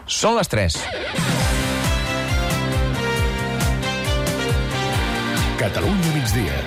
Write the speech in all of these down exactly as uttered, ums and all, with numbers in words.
Són les tres. Catalunya migdia.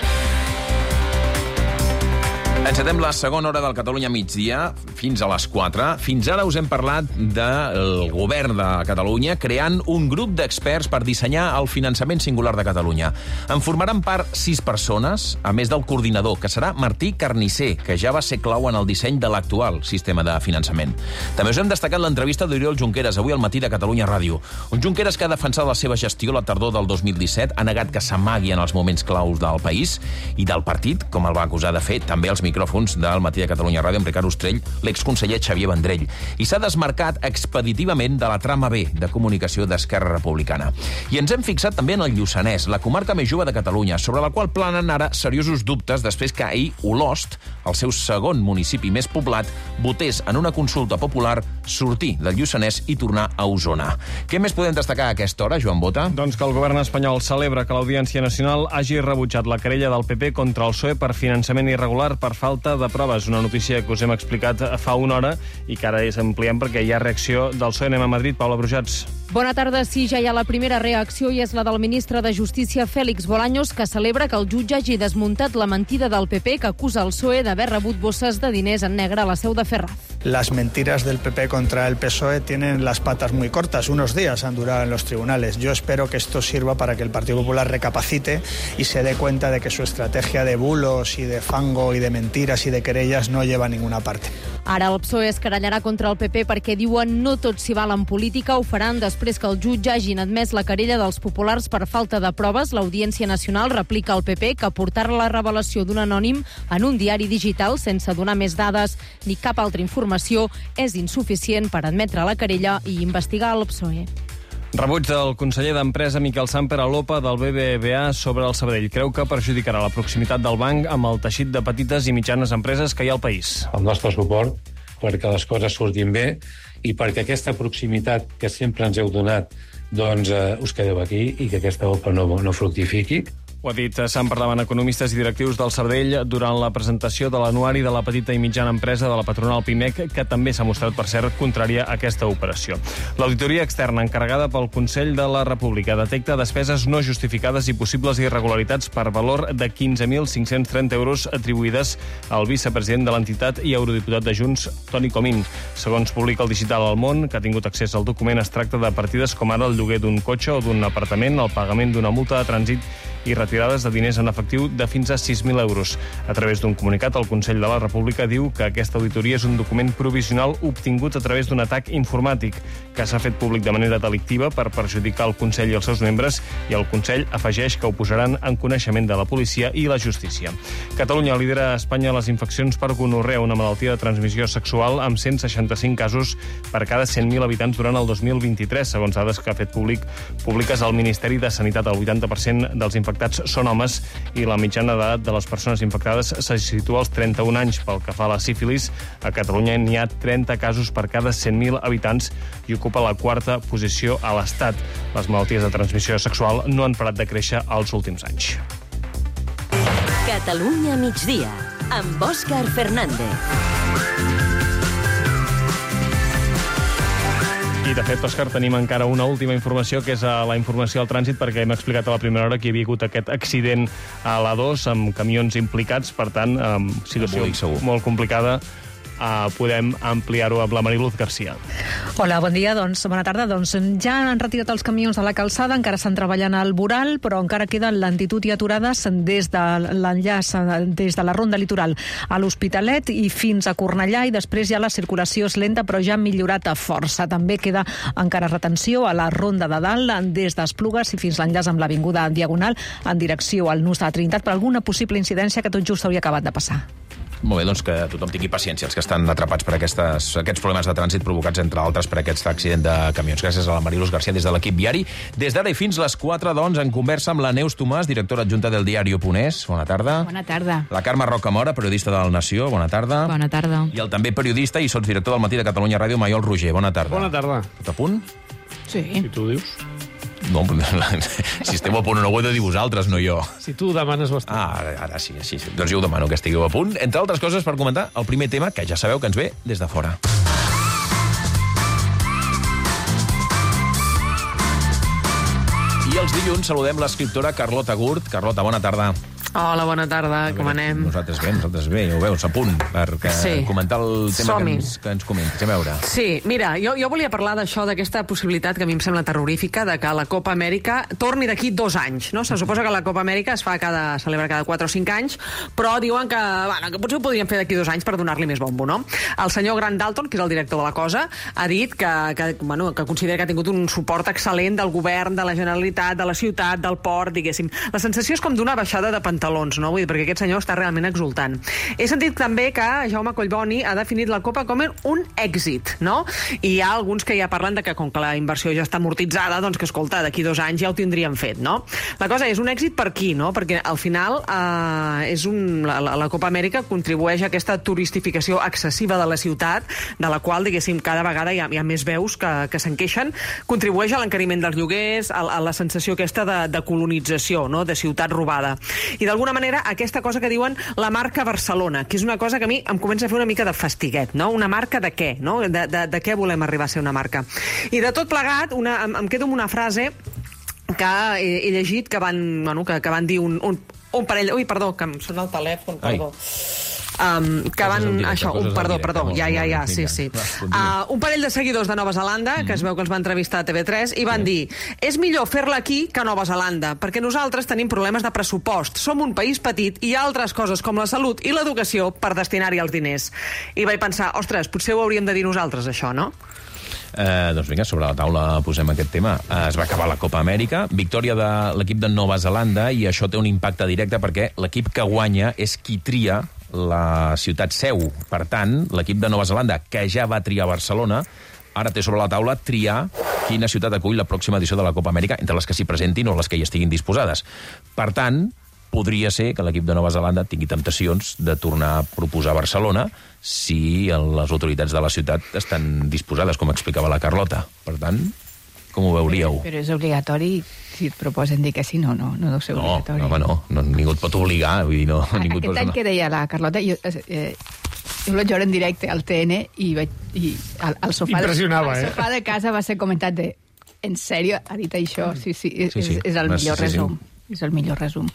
Encetem la segona hora del Catalunya migdia fins a les quatre. Fins ara us hem parlat del govern de Catalunya creant un grup d'experts per dissenyar el finançament singular de Catalunya. En formaran part sis persones, a més del coordinador, que serà Martí Carnisser, que ja va ser clau en el disseny de l'actual sistema de finançament. També us hem destacat l'entrevista d'Oriol Junqueras avui al matí de Catalunya Ràdio. Un Junqueras que ha defensat la seva gestió la tardor del dos mil disset, ha negat que s'amagui en els moments claus del país i del partit, com el va acusar de fer també els micròfons del matí de Catalunya Ràdio amb Ricard Ostrell, l'exconseller Xavier Vendrell. I s'ha desmarcat expeditivament de la trama B de comunicació d'Esquerra Republicana. I ens hem fixat també en el Lluçanès, la comarca més jove de Catalunya, sobre la qual planen ara seriosos dubtes després que ahir Olost, el seu segon municipi més poblat, votés en una consulta popular sortir del Lluçanès i tornar a Osona. Què més podem destacar a aquesta hora, Joan Bota? Doncs que el govern espanyol celebra que l'Audiència Nacional hagi rebutjat la querella del P P contra el P S O E per finançament irregular per falta de proves. Una notícia que us hem explicat fa una hora i que ara és ampliem perquè hi ha reacció del P S O E. Anem a Madrid. Paula Brujats. Bona tarda. Sí, ja hi ha la primera reacció i és la del ministre de Justícia, Félix Bolaños, que celebra que el jutge hagi desmuntat la mentida del P P que acusa el P S O E d'haver rebut bosses de diners en negre a la seu de Ferraz. Las mentiras del P P contra el P S O E tienen las patas muy cortas. Unos días han durado en los tribunales. Yo espero que esto sirva para que el Partido Popular recapacite y se dé cuenta de que su estrategia de bulos y de fango y de mentiras y de querellas no lleva a ninguna parte. Ara el P S O E es querellarà contra el P P perquè diuen no tot s'hi val en política. Ho faran després que el jutge hagin admès la querella dels populars per falta de proves. L'Audiència Nacional replica al P P que portar la revelació d'un anònim en un diari digital sense donar més dades ni cap altra informació és insuficient per admetre la querella i investigar el P S O E. Rebuig del conseller d'Empresa Miquel Samper a l'OPA del B B V A sobre el Sabadell. Creu que perjudicarà la proximitat del banc amb el teixit de petites i mitjanes empreses que hi ha al país. El nostre suport perquè les coses surtin bé i perquè aquesta proximitat que sempre ens heu donat doncs eh, us quedeu aquí i que aquesta OPA no, no fructifiqui. Ho ha dit Samper davant economistes i directius del Sabadell durant la presentació de l'anuari de la petita i mitjana empresa de la patronal Pimec, que també s'ha mostrat, per cert, contrària a aquesta operació. L'auditoria externa encarregada pel Consell de la República detecta despeses no justificades i possibles irregularitats per valor de quinze mil cinc-cents trenta euros atribuïdes al vicepresident de l'entitat i eurodiputat de Junts, Toni Comín. Segons publica el Digital al Món, que ha tingut accés al document, es tracta de partides com ara el lloguer d'un cotxe o d'un apartament, el pagament d'una multa de trànsit i retirades de diners en efectiu de fins a sis mil euros. A través d'un comunicat, el Consell de la República diu que aquesta auditoria és un document provisional obtingut a través d'un atac informàtic que s'ha fet públic de manera delictiva per perjudicar el Consell i els seus membres, i el Consell afegeix que ho posaran en coneixement de la policia i la justícia. Catalunya lidera a Espanya les infeccions per gonorrea, una malaltia de transmissió sexual, amb cent seixanta-cinc casos per cada cent mil habitants durant el dos mil vint-i-tres, segons dades que ha fet públic públiques al Ministeri de Sanitat. El vuitanta per cent dels infectats són homes i la mitjana d'edat de les persones infectades se situa als trenta-un anys. Pel que fa a la sífilis, a Catalunya n'hi ha trenta casos per cada cent mil habitants i ocupa la quarta posició a l'Estat. Les malalties de transmissió sexual no han parat de créixer els últims anys. Catalunya migdia, amb Òscar Fernández. I, de fet, Òscar, tenim encara una última informació, que és la informació al trànsit, perquè hem explicat a la primera hora que hi havia hagut aquest accident a l'A dos amb camions implicats, per tant, amb situació molt complicada. Uh, podem ampliar-ho amb la Mariluz Garcia. Hola, bon dia. Doncs, bona tarda. Doncs ja han retirat els camions de la calçada, encara estan treballant al voral, però encara queden lentitud i aturades des de l'enllaç, des de la ronda litoral a l'Hospitalet i fins a Cornellà, i després ja la circulació és lenta, però ja ha millorat a força. També queda encara retenció a la ronda de dalt, des d'Esplugues i fins l'enllaç amb l'avinguda Diagonal en direcció al Nus de la Trinitat, per alguna possible incidència que tot just hauria acabat de passar. Molt bé, doncs que tothom tingui paciència, els que estan atrapats per aquestes, aquests problemes de trànsit provocats, entre altres, per aquest accident de camions. Gràcies a la Mariluz Garcia des de l'equip viari. Des d'ara i fins les quatre, doncs, en conversa amb la Neus Tomàs, directora adjunta del Diario.es. Bona tarda. Bona tarda. La Carme Rocamora, periodista del Nació. Bona tarda. Bona tarda. I el també periodista i sotsdirector del Matí de Catalunya Ràdio, Maiol Roger. Bona tarda. Bona tarda. Tot a punt? Sí. Si tu ho dius. No, si esteu a punt o no ho heu de dir vosaltres, no jo. Si tu ho demanes bastant. Ah, ara, ara sí, sí. Doncs jo ho demano, que estigueu a punt. Entre altres coses, per comentar el primer tema, que ja sabeu que ens ve des de fora. I els dilluns saludem l'escriptora Carlota Gurt. Carlota, bona tarda. Hola, bona tarda, com anem? Nosaltres bé, nosaltres bé, ja ho veus, a punt, per sí. comentar el tema que ens, que ens comentes. A veure. Sí, mira, jo, jo volia parlar d'això, d'aquesta possibilitat que a mi em sembla terrorífica, de que la Copa Amèrica torni d'aquí dos anys, no? Se suposa que la Copa Amèrica es fa cada, celebra cada quatre o cinc anys, però diuen que, bueno, que potser ho podrien fer d'aquí dos anys per donar-li més bombo, no? El senyor Grant Dalton, que és el director de la cosa, ha dit que, que, bueno, que considera que ha tingut un suport excel·lent del govern, de la Generalitat, de la ciutat, del port, diguéssim. La sensació és com d'una baixada de pantalons, no? Vull dir, perquè aquest senyor està realment exultant. He sentit també que Jaume Collboni ha definit la Copa com un èxit, no? I hi ha alguns que ja parlen de que com que la inversió ja està amortitzada, doncs que, escolta, d'aquí dos anys ja ho tindríem fet, no? La cosa és un èxit per qui, no? Perquè al final eh, és un, la, la Copa Amèrica contribueix a aquesta turistificació excessiva de la ciutat, de la qual, diguéssim, cada vegada hi ha, hi ha més veus que, que se'n queixen, contribueix a l'encariment dels lloguers, a, a la sensació aquesta de, de colonització, no? De ciutat robada. I d'alguna manera aquesta cosa que diuen la marca Barcelona, que és una cosa que a mi em comença a fer una mica de fastiguet, no? Una marca de què, no? De, de, de què volem arribar a ser una marca? I de tot plegat, una, em, em quedo amb una frase que he, he llegit que van, bueno, que, que van dir un, un, un parell... Ui, perdó, que em sona el telèfon, perdó. Um, que van... Directe, això, un, perdó, directe, perdó, ja, ja, ja, sí, sí. Uh, un parell de seguidors de Nova Zelanda, que es veu que els va entrevistar a T V tres, i van dir, és millor fer-la aquí que a Nova Zelanda, perquè nosaltres tenim problemes de pressupost, som un país petit i hi ha altres coses com la salut i l'educació per destinar-hi els diners. I vaig pensar, ostres, potser ho hauríem de dir nosaltres, això, no? Eh, doncs vinga, sobre la taula posem aquest tema. Eh, es va acabar la Copa Amèrica, victòria de l'equip de Nova Zelanda, i això té un impacte directe perquè l'equip que guanya és qui tria la ciutat seu. Per tant, l'equip de Nova Zelanda, que ja va triar Barcelona, ara té sobre la taula triar quina ciutat acull la pròxima edició de la Copa Amèrica, entre les que s'hi presentin o les que hi estiguin disposades. Per tant, podria ser que l'equip de Nova Zelanda tingui temptacions de tornar a proposar Barcelona si les autoritats de la ciutat estan disposades, com explicava la Carlota. Per tant, com ho veuríeu? Però, però és obligatori si et proposen dir que sí, no, no, no deu ser no, obligatori. No, home, no, no, ningú et pot obligar, vull dir, no. A, ningú aquest any que deia la Carlota, jo, eh, jo vaig veure en directe al T N i, vaig, i al, al, sofà de, al eh? sofà de casa va ser comentat de en sèrio, ha dit això? Sí, sí, és, sí, sí. és, és el millor sí, resum. Sí. És el millor resum.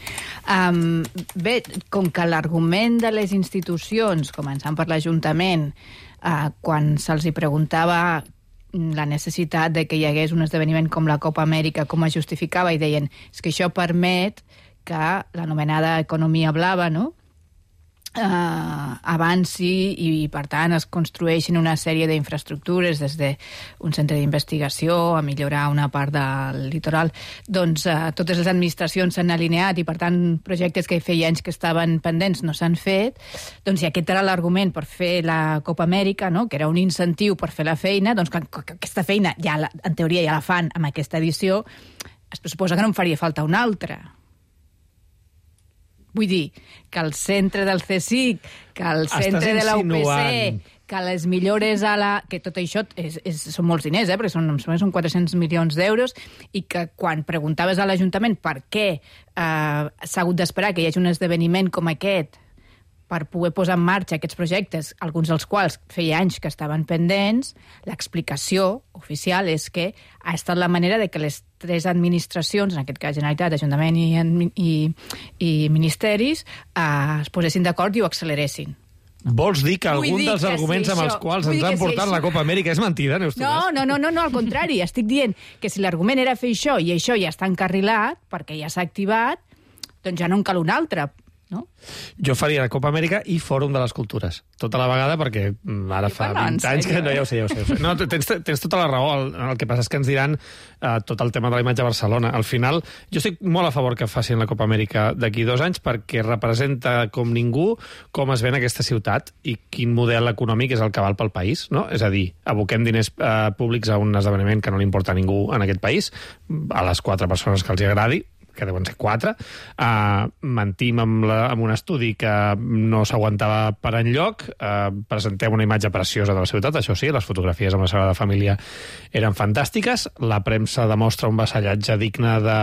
Um, bé, com que l'argument de les institucions, començant per l'Ajuntament, uh, quan se'ls hi preguntava la necessitat de que hi hagués un esdeveniment com la Copa Amèrica, com es justificava, i deien, és que això permet que l'anomenada economia blava, no?, Uh, avanci i, i, per tant, es construeixin una sèrie d'infraestructures des d'un centre d'investigació a millorar una part del litoral. Doncs uh, totes les administracions s'han alineat i, per tant, projectes que feia anys que estaven pendents no s'han fet. Doncs si aquest era l'argument per fer la Copa Amèrica, no?, que era un incentiu per fer la feina, doncs que, que aquesta feina, ja la, en teoria, ja la fan amb aquesta edició, es suposa que no en faria falta una altra. Vull dir, que el centre del C S I C, que el centre de la U P C, que les millores a la... que tot això és, és, són molts diners, eh? Perquè són, són quatre-cents milions d'euros, i que quan preguntaves a l'Ajuntament per què eh, s'ha hagut d'esperar que hi hagi un esdeveniment com aquest per poder posar en marxa aquests projectes, alguns dels quals feia anys que estaven pendents, l'explicació oficial és que ha estat la manera de que les tres administracions, en aquest cas Generalitat, Ajuntament i, i, i Ministeris, eh, es posessin d'acord i ho acceleressin. Vols dir que algun dir dels que arguments si amb els quals ens han portat si la Copa Amèrica és mentida, Neus Tomàs? No, no, no, no, al contrari. Estic dient que si l'argument era fer això i això ja està encarrilat, perquè ja s'ha activat, doncs ja no en cal un altre. No? Jo faria la Copa Amèrica i Fòrum de les Cultures. Tota la vegada, perquè ara fa vint anys que... No, ja ho sé, ja ho sé. Ja ho sé. No, tens, tens tota la raó. El, el que passa és que ens diran uh, tot el tema de la imatge a Barcelona. Al final, jo estic molt a favor que facin la Copa Amèrica d'aquí dos anys perquè representa com ningú com es ven aquesta ciutat i quin model econòmic és el que val pel país, no? És a dir, aboquem diners uh, públics a un esdeveniment que no li importa a ningú en aquest país, a les quatre persones que els agradi, que deuen ser quatre, uh, mentim amb, la, amb un estudi que no s'aguantava per enlloc, uh, presentem una imatge preciosa de la ciutat, això sí, les fotografies amb la Sagrada Família eren fantàstiques, la premsa demostra un vassallatge digne de,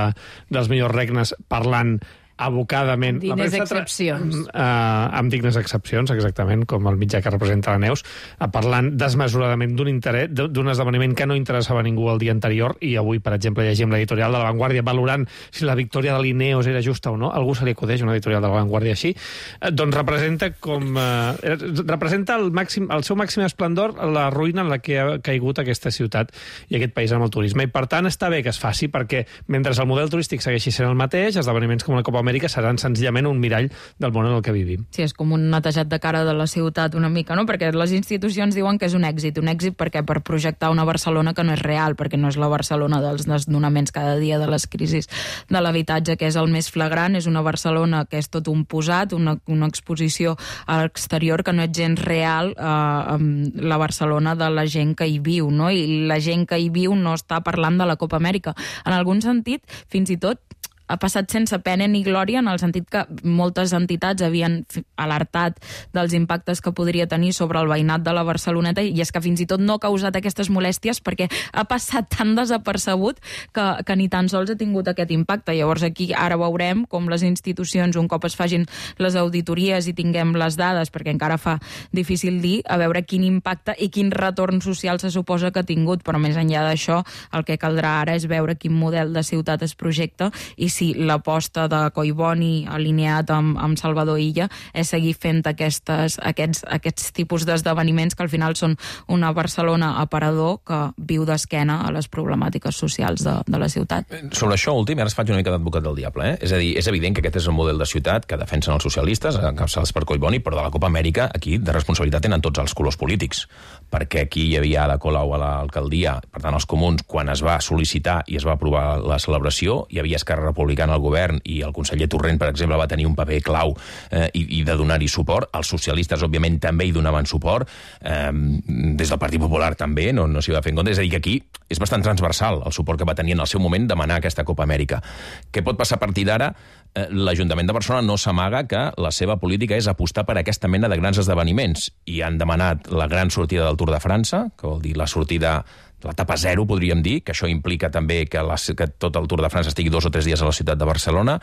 dels millors regnes parlant abocadament... Amb dignes excepcions. Uh, amb dignes excepcions, exactament, com el mitjà que representa la Neus, uh, parlant desmesuradament d'un interès, d'un esdeveniment que no interessava a ningú el dia anterior, i avui, per exemple, llegim l'editorial de La Vanguardia valorant si la victòria de l'Ineos era justa o no. Algú se li acudeix una editorial de La Vanguardia així? Uh, doncs representa com... Uh, representa el, màxim, el seu màxim esplendor la ruïna en la que ha caigut aquesta ciutat i aquest país amb el turisme. I, per tant, està bé que es faci, perquè mentre el model turístic segueixi sent el mateix, esdeveniments com la Copa Amèrica seran senzillament un mirall del món en el que vivim. Sí, és com un netejat de cara de la ciutat una mica, no? Perquè les institucions diuen que és un èxit. Un èxit perquè per projectar una Barcelona que no és real, perquè no és la Barcelona dels desnonaments cada dia, de les crisis de l'habitatge, que és el més flagrant. És una Barcelona que és tot un posat, una, una exposició a l'exterior que no és gens real, eh, la Barcelona de la gent que hi viu, no? I la gent que hi viu no està parlant de la Copa Amèrica. En algun sentit, fins i tot, ha passat sense pena ni glòria, en el sentit que moltes entitats havien alertat dels impactes que podria tenir sobre el veïnat de la Barceloneta, i és que fins i tot no ha causat aquestes molèsties perquè ha passat tan desapercebut que, que ni tan sols ha tingut aquest impacte. Llavors aquí ara veurem com les institucions, un cop es facin les auditories i tinguem les dades, perquè encara fa difícil dir, a veure quin impacte i quin retorn social se suposa que ha tingut. Però més enllà d'això, el que caldrà ara és veure quin model de ciutat es projecta i si si l'aposta de Collboni alineat amb, amb Salvador Illa és seguir fent aquestes, aquests, aquests tipus d'esdeveniments que al final són una Barcelona aparador que viu d'esquena a les problemàtiques socials de, de la ciutat. Sobre això últim, ara es faig una mica d'advocat del diable, eh? És a dir, és evident que aquest és el model de ciutat que defensen els socialistes, encapçalats per Collboni, però de la Copa Amèrica aquí de responsabilitat tenen tots els colors polítics, perquè aquí hi havia Ada Colau a l'alcaldia, per tant els comuns, quan es va sol·licitar i es va aprovar la celebració, hi havia Esquerra Republicana al govern i el conseller Torrent, per exemple, va tenir un paper clau eh, i, i de donar-hi suport. Els socialistes, òbviament, també hi donaven suport. Eh, des del Partit Popular també, no, no s'hi va fer en compte. És a dir, que aquí és bastant transversal el suport que va tenir en el seu moment demanar aquesta Copa Amèrica. Què pot passar a partir d'ara? Eh, L'Ajuntament de Barcelona no s'amaga que la seva política és apostar per aquesta mena de grans esdeveniments i han demanat la gran sortida del Tour de França, que vol dir la sortida l'etapa zero, podríem dir, que això implica també que, la, que tot el Tour de França estigui dos o tres dies a la ciutat de Barcelona.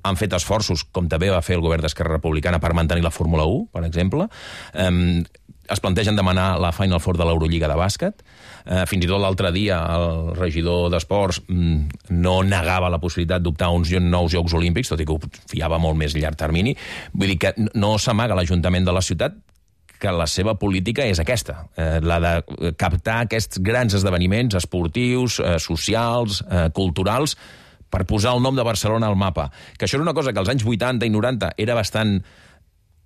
Han fet esforços, com també va fer el govern d'Esquerra Republicana, per mantenir la Fórmula u, per exemple. Um, es plantegen demanar la Final Four de l'Eurolliga de bàsquet. Uh, fins i tot l'altre dia el regidor d'Esports mm, no negava la possibilitat d'optar a uns nous Jocs Olímpics, tot i que ho fiava molt més a llarg termini. Vull dir que no s'amaga l'Ajuntament de la ciutat que la seva política és aquesta, eh, la de captar aquests grans esdeveniments esportius, eh, socials, eh, culturals, per posar el nom de Barcelona al mapa. Que això era una cosa que als anys vuitanta i noranta era bastant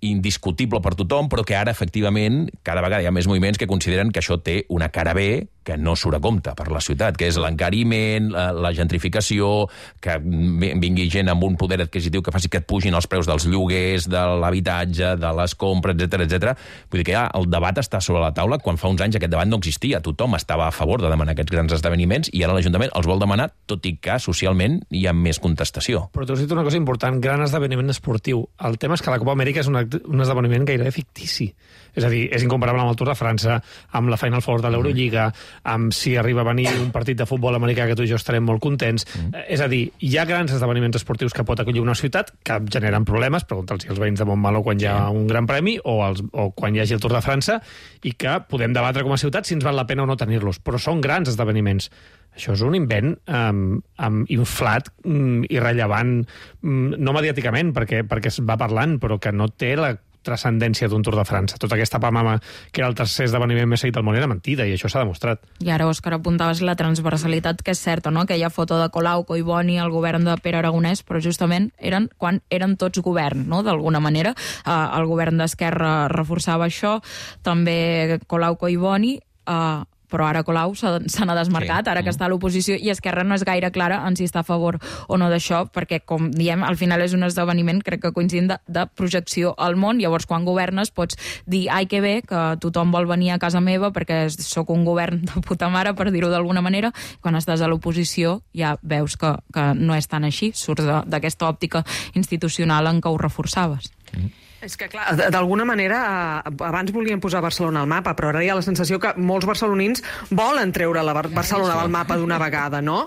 indiscutible per tothom, però que ara, efectivament, cada vegada hi ha més moviments que consideren que això té una cara B que no surt a compte per la ciutat, que és l'encariment, la, la gentrificació, que vingui gent amb un poder adquisitiu que faci que et pugin els preus dels lloguers, de l'habitatge, de les compres, etcètera, etcètera. Vull dir que ja el debat està sobre la taula, quan fa uns anys aquest debat no existia. Tothom estava a favor de demanar aquests grans esdeveniments i ara l'Ajuntament els vol demanar, tot i que socialment hi ha més contestació. Però tu has dit una cosa important, gran esdeveniment esportiu. El tema és que la Copa Amèrica és una, un esdeveniment gairebé fictici. És a dir, és incomparable amb el Tour de França, amb la Final Four de l'Eurolliga, amb si arriba a venir un partit de futbol americà que tu i jo estarem molt contents. Mm. És a dir, hi ha grans esdeveniments esportius que pot acollir una ciutat que generen problemes, pregunta'ls als veïns de Montmeló quan hi ha un gran premi o, els, o quan hi hagi el Tour de França, i que podem debatre com a ciutat si ens val la pena o no tenir-los. Però són grans esdeveniments. Això és un invent um, um, inflat, um, irrellevant, um, no mediàticament, perquè, perquè es va parlant, però que no té la transcendència d'un Tour de França. Tota aquesta pamama que era el tercer esdeveniment més seguit del món era mentida, i això s'ha demostrat. I ara, Òscar, apuntaves la transversalitat, que és certa, no? Aquella foto de Colau, Collboni, el govern de Pere Aragonès, però justament eren quan eren tots govern, no? D'alguna manera. Eh, el govern d'Esquerra reforçava això, també Colau, Collboni, eh, però ara Colau se n'ha desmarcat, ara que està a l'oposició, i Esquerra no és gaire clara en si està a favor o no d'això, perquè, com diem, al final és un esdeveniment, crec que coincidint, de, de projecció al món. Llavors, quan governes, pots dir, ai, que bé, que tothom vol venir a casa meva perquè sóc un govern de puta mare, per dir-ho d'alguna manera. Quan estàs a l'oposició ja veus que, que no és tan així, surts d'aquesta òptica institucional en què ho reforçaves. Mm. És que, clar, d'alguna manera, abans volien posar Barcelona al mapa, però ara hi ha la sensació que molts barcelonins volen treure la Bar- Barcelona del mapa d'una vegada, no?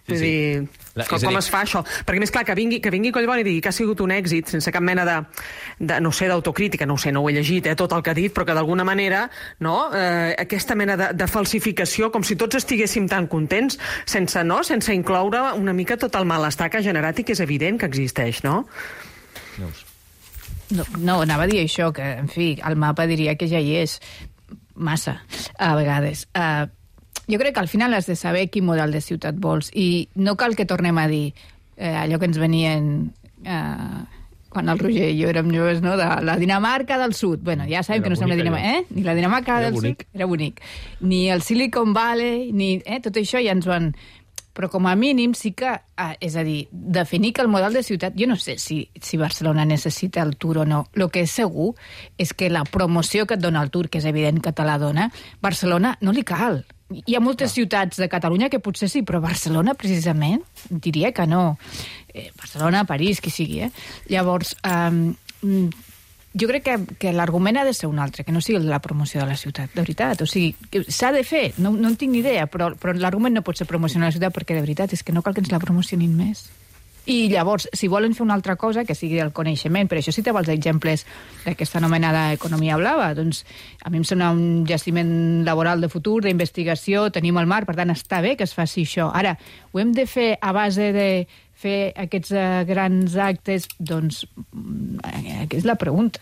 Vull sí. dir, La, com, com dir... es fa això? Perquè més clar, que vingui, que vingui Collboni i digui que ha sigut un èxit sense cap mena de, de no sé, d'autocrítica, no ho sé, no ho he llegit, eh, tot el que ha dit, però que d'alguna manera, no, eh, aquesta mena de, de falsificació, com si tots estiguéssim tan contents, sense, no, sense incloure una mica tot el malestar que ha generat i que és evident que existeix, no? No, no, anava a dir això, que, en fi, el mapa diria que ja hi és massa, a vegades. Uh, jo crec que al final has de saber quin model de ciutat vols i no cal que tornem a dir eh, allò que ens venien eh, quan el Roger i jo érem joves, no? De la Dinamarca del Sud. Bueno, ja sabem era que no som la Dinamarca, eh? Ni la Dinamarca era del bonic. Sud era bonic. Ni el Silicon Valley, ni eh? tot això ja ens ho han... Però com a mínim sí que, ah, és a dir, definir que el model de ciutat... Jo no sé si, si Barcelona necessita el Tour o no. El que és segur és que la promoció que et dona el Tour, que és evident que te la dona, Barcelona no li cal. Hi ha moltes ciutats de Catalunya que potser sí, però Barcelona, precisament, diria que no. Eh, Barcelona, París, qui sigui, eh? Llavors, eh, jo crec que, que l'argument ha de ser un altre, que no sigui la promoció de la ciutat, de veritat. O sigui, s'ha de fer, no, no en tinc ni idea, però, però l'argument no pot ser promocionar la ciutat perquè, de veritat, és que no cal que ens la promocionin més. I llavors, si volen fer una altra cosa, que sigui el coneixement, per això citava els exemples d'aquesta anomenada economia blava, doncs a mi em sona un jaciment laboral de futur, d'investigació, tenim el mar, per tant està bé que es faci això. Ara, ho hem de fer a base de fer aquests uh, grans actes? Doncs aquesta és la pregunta.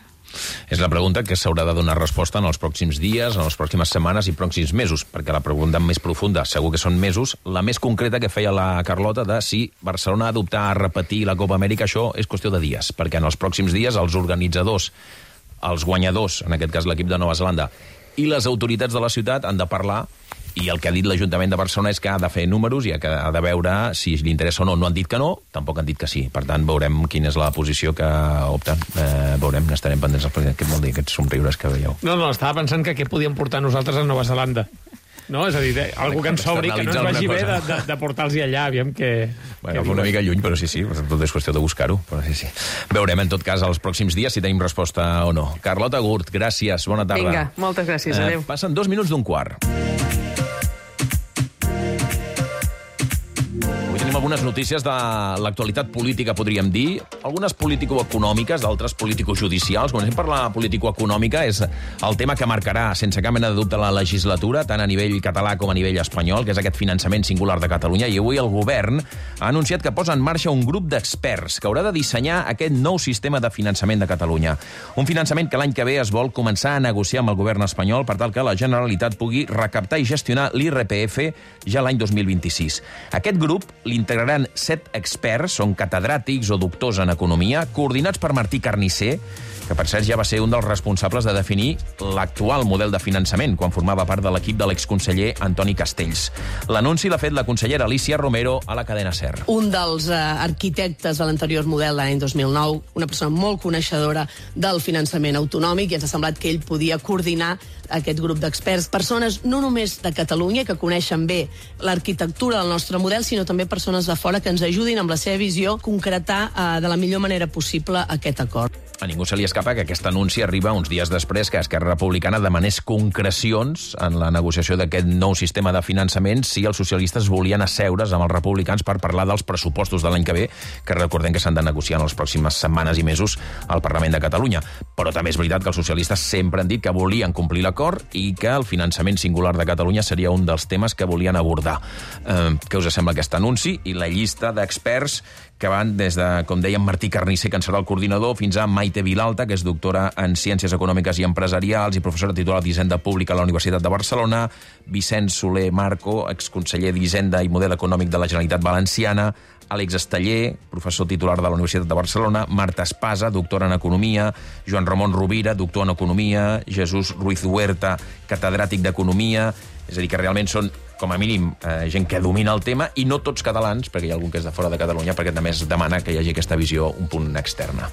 És la pregunta que s'haurà de donar resposta en els pròxims dies, en les pròximes setmanes i pròxims mesos, perquè la pregunta més profunda, segur que són mesos, la més concreta que feia la Carlota de si Barcelona ha d'optar a repetir la Copa Amèrica, això és qüestió de dies, perquè en els pròxims dies els organitzadors, els guanyadors, en aquest cas l'equip de Nova Zelanda, i les autoritats de la ciutat han de parlar, i el que ha dit l'Ajuntament de Barcelona és que ha de fer números i que ha de veure si li interessa o no. No han dit que no, tampoc han dit que sí. Per tant, veurem quina és la posició que opten. Eh, veurem, n'estarem pendents. Què vol dir aquests somriures que veieu? No, no, estava pensant que què podíem portar nosaltres a Nova Zelanda. No, és a dir, algú que ens sobri, que no ens vagi bé de, de, de portar-los allà, aviam que... Bueno, que una mica lluny, però sí, sí, tot és qüestió de buscar-ho, però sí, sí. Veurem, en tot cas, els pròxims dies si tenim resposta o no. Carlota Gurt, gràcies, bona tarda. Vinga, moltes gràcies, adéu. Eh, passen dos minuts d'un quart. Algunes notícies de l'actualitat política, podríem dir, algunes político-econòmiques, d'altres político-judicials. Comencem per la político-econòmica, és el tema que marcarà, sense cap mena de dubte, la legislatura, tant a nivell català com a nivell espanyol, que és aquest finançament singular de Catalunya, i avui el govern ha anunciat que posa en marxa un grup d'experts que haurà de dissenyar aquest nou sistema de finançament de Catalunya. Un finançament que l'any que ve es vol començar a negociar amb el govern espanyol per tal que la Generalitat pugui recaptar i gestionar l'I R P F ja l'any dos mil vint-i-sis. Aquest grup l'integraran set experts, són catedràtics o doctors en economia, coordinats per Martí Carnicer, que per cert ja va ser un dels responsables de definir l'actual model de finançament, quan formava part de l'equip de l'exconseller Antoni Castells. L'anunci l'ha fet la consellera Alicia Romero a la cadena SER. Un dels uh, arquitectes de l'anterior model de l'any dos mil nou, una persona molt coneixedora del finançament autonòmic, i ens ha semblat que ell podia coordinar aquest grup d'experts, persones no només de Catalunya, que coneixen bé l'arquitectura del nostre model, sinó també persones de fora que ens ajudin amb la seva visió a concretar uh, de la millor manera possible aquest acord. A ningú se li escapa que aquest anunci arriba uns dies després que Esquerra Republicana demanés concrecions en la negociació d'aquest nou sistema de finançament si els socialistes volien asseure's amb els republicans per parlar dels pressupostos de l'any que ve, que recordem que s'han de negociar en les pròximes setmanes i mesos al Parlament de Catalunya. Però també és veritat que els socialistes sempre han dit que volien complir l'acord i que el finançament singular de Catalunya seria un dels temes que volien abordar. Eh, què us sembla aquest anunci? I la llista d'experts que van des de, com dèiem, Martí Carnicer, que en serà el coordinador, fins a Maite Vilalta, que és doctora en Ciències Econòmiques i Empresarials i professora titular d'Hisenda Pública a la Universitat de Barcelona, Vicent Soler Marco, exconseller d'Hisenda i Model Econòmic de la Generalitat Valenciana, Àlex Esteller, professor titular de la Universitat de Barcelona, Marta Espasa, doctora en Economia, Joan Ramon Rovira, doctor en Economia, Jesús Ruiz Huerta, catedràtic d'Economia. És a dir, que realment són, com a mínim, eh, gent que domina el tema, i no tots catalans, perquè hi ha algun que és de fora de Catalunya, perquè també es demana que hi hagi aquesta visió un punt externa.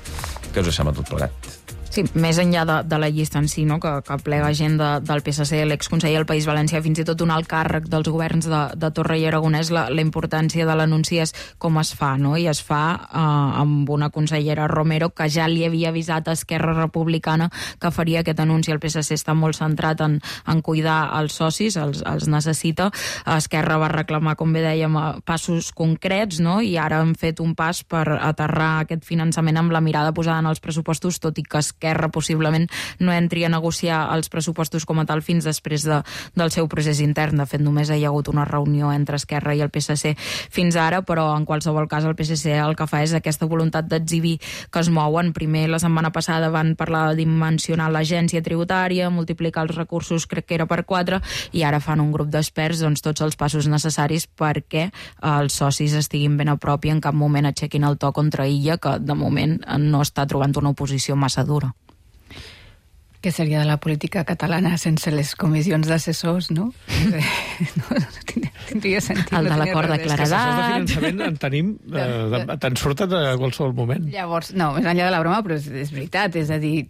Què us sembla tot plegat? Sí, més enllà de, de la llista en si, no? que, que plega gent de, del P S C, l'exconseller del País Valencià, fins i tot un alt càrrec dels governs de, de Torra i Aragonès, la, la importància de l'anunci és com es fa, no? I es fa eh, amb una consellera Romero que ja li havia avisat a Esquerra Republicana que faria aquest anunci. El P S C està molt centrat en, en cuidar els socis, els, els necessita. Esquerra va reclamar, com bé dèiem, passos concrets, no? I ara han fet un pas per aterrar aquest finançament amb la mirada posada en els pressupostos, tot i que Esquerra possiblement no entri a negociar els pressupostos com a tal fins després de, del seu procés intern. De fet, només hi ha hagut una reunió entre Esquerra i el P S C fins ara, però en qualsevol cas el P S C el que fa és aquesta voluntat d'exhibir que es mouen. Primer, la setmana passada van parlar de dimensionar l'agència tributària, multiplicar els recursos, crec que era per quatre, i ara fan un grup d'experts, doncs tots els passos necessaris perquè els socis estiguin ben a prop i en cap moment aixequin el to contra Illa, que de moment no està trobant una oposició massa dura. Què seria de la política catalana sense les comissions d'assessors, no? No, no tindria sentit. El de l'acord de claredat. Els assessors de finançament en tenim, eh, te'n surten a qualsevol moment. Llavors, no, més enllà de la broma, però és, és veritat, és a dir,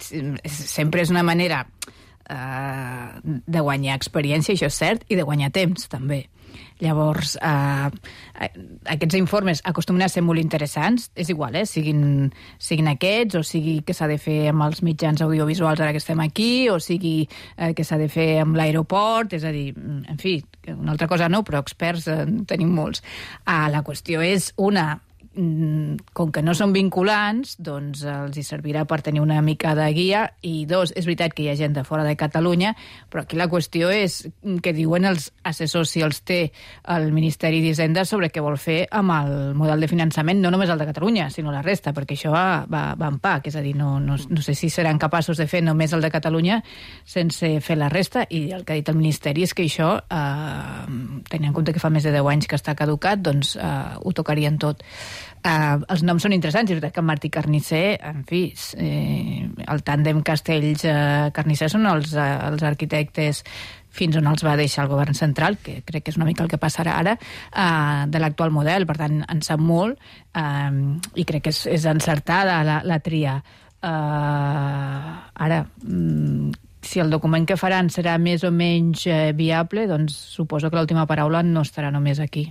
sempre és una manera eh, de guanyar experiència, això és cert, i de guanyar temps, també. Llavors, eh, aquests informes acostumen a ser molt interessants, és igual, eh? siguin, siguin aquests, o sigui que s'ha de fer amb els mitjans audiovisuals ara que estem aquí, o sigui eh, que s'ha de fer amb l'aeroport, és a dir, en fi, una altra cosa no, però experts eh, tenim molts. Ah, la qüestió és una, com que no són vinculants, doncs els hi servirà per tenir una mica de guia, i dos, és veritat que hi ha gent de fora de Catalunya, però aquí la qüestió és que diuen els assessors, si els té el Ministeri d'Hisenda, sobre què vol fer amb el model de finançament, no només el de Catalunya, sinó la resta, perquè això va, va, va en pack, és a dir, no, no, no sé si seran capaços de fer només el de Catalunya sense fer la resta, i el que ha dit el Ministeri és que això, eh, tenint en compte que fa més de deu anys que està caducat, doncs eh, ho tocarien tot. Uh, els noms són interessants, és veritat que Martí Carnicer, en fi, eh, el tàndem Castells-Carnicer uh, són els, uh, els arquitectes fins on els va deixar el govern central, que crec que és una mica el que passarà ara, uh, de l'actual model. Per tant, en sap molt, uh, i crec que és, és encertada la, la tria. Uh, ara, um, si el document que faran serà més o menys uh, viable, doncs suposo que l'última paraula no estarà només aquí.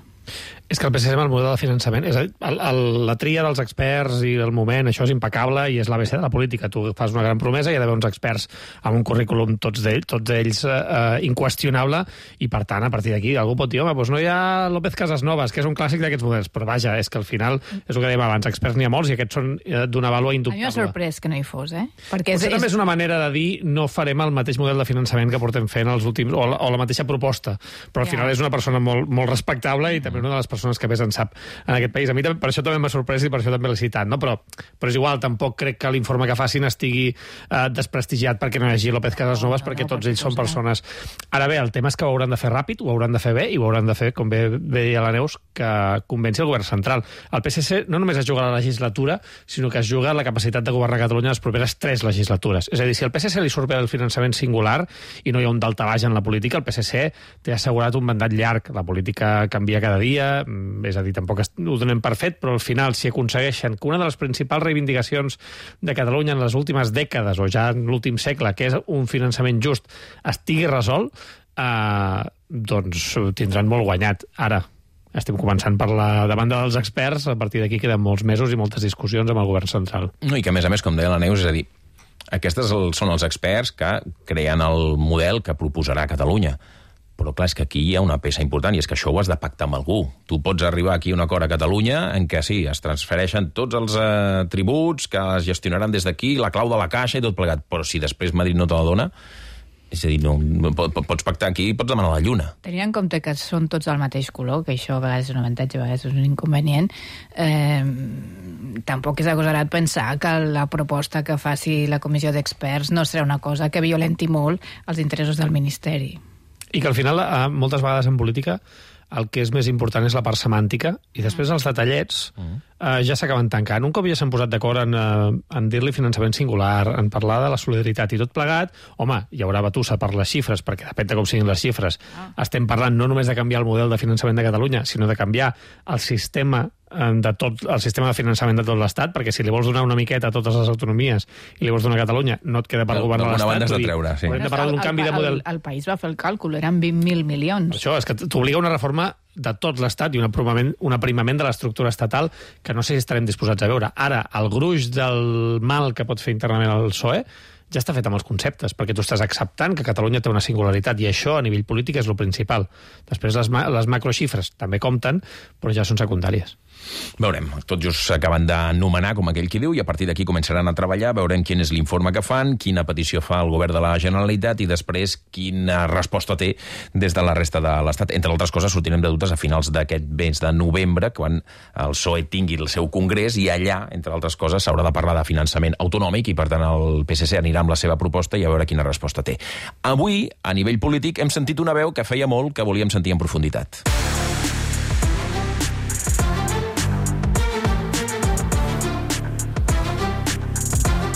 És que el P S C amb el model de finançament, és a dir, el, el, la tria dels experts i el moment, això és impecable i és l'A B C de la política. Tu fas una gran promesa, hi ha d'haver uns experts amb un currículum, tots ells, tots ells eh, inqüestionable, i per tant, a partir d'aquí, algú pot dir, home, doncs no hi ha López Casasnovas, que és un clàssic d'aquests models, però vaja, és que al final, és el que dèiem abans, experts n'hi ha molts i aquests són eh, d'una vàlua indubtable. A mi m'ha sorprès que no hi fos, eh? Perquè és, és... és una manera de dir no farem el mateix model de finançament que portem fent els últims, o la, o la mateixa proposta, però al final ja. És una persona molt, molt respectable i també una de les persones que més en sap en aquest país. A mi per això també m'ha sorprès i per això també l'he citat, no? Però, però és igual, tampoc crec que l'informe que facin estigui eh, desprestigiat perquè no hi hagi López Casasnovas, no, no, perquè no, tots ells són persones... Ara bé, el tema és que ho hauran de fer ràpid, ho hauran de fer bé i ho hauran de fer, com bé deia la Neus, que convenci el govern central. El P S C no només es juga la legislatura, sinó que es juga la capacitat de governar Catalunya les properes tres legislatures. És a dir, si al P S C li surt bé el finançament singular i no hi ha un daltabaix en la política, el P S C té assegurat un mandat llarg. La política canvia cada dia, és a dir, tampoc ho donem per fet, però al final, si aconsegueixen que una de les principals reivindicacions de Catalunya en les últimes dècades, o ja en l'últim segle, que és un finançament just, estigui resolt, eh, doncs tindran molt guanyat. Ara, estem començant per la demanda dels experts, a partir d'aquí queden molts mesos i moltes discussions amb el govern central. No, i que, a més a més, com deia la Neus, és a dir, aquests són els experts que creen el model que proposarà Catalunya. Però clar, és que aquí hi ha una peça important, i és que això ho has de pactar amb algú. Tu pots arribar aquí a un acord a Catalunya en què sí, es transfereixen tots els eh, tributs, que es gestionaran des d'aquí, la clau de la caixa i tot plegat. Però si després Madrid no te la dona, és a dir, no, pots pactar aquí i pots demanar la lluna. Tenint en compte que són tots del mateix color, que això a vegades és un avantatge, a vegades és un inconvenient, eh, tampoc és agosarat pensar que la proposta que faci la comissió d'experts no serà una cosa que violenti molt els interessos del Ministeri. I que al final, moltes vegades en política, el que és més important és la part semàntica, i després els detallets eh, ja s'acaben tancant. Un cop ja s'han posat d'acord en, eh, en dir-li finançament singular, en parlar de la solidaritat i tot plegat, home, hi haurà batussa per les xifres, perquè depèn de com siguin les xifres. Ah. Estem parlant no només de canviar el model de finançament de Catalunya, sinó de canviar el sistema de tot el sistema de finançament de tot l'Estat, perquè si li vols donar una miqueta a totes les autonomies i li vols donar a Catalunya, no et queda per governar l'Estat. D'alguna banda has de treure, sí. Hem de parlar d'un canvi de model. El, el país va fer el càlcul, eren vint mil milions. Això és que t'obliga una reforma de tot l'Estat i un aprimament, un aprimament de l'estructura estatal que no sé si estarem disposats a veure. Ara, el gruix del mal que pot fer internament el P S O E ja està fet amb els conceptes, perquè tu estàs acceptant que Catalunya té una singularitat, i això a nivell polític és el principal. Després les, ma les macroxifres també compten, però ja són secundàries. Veurem, tot just s'acaben d'anomenar, com aquell qui diu, i a partir d'aquí començaran a treballar, veurem quin és l'informe que fan, quina petició fa el govern de la Generalitat i després quina resposta té des de la resta de l'Estat. Entre altres coses, sortirem de dubtes a finals d'aquest mes de novembre, quan el P S O E tingui el seu congrés, i allà, entre altres coses, s'haurà de parlar de finançament autonòmic, i per tant el P S C anirà amb la seva proposta i a veure quina resposta té. Avui, a nivell polític, hem sentit una veu que feia molt que volíem sentir en profunditat.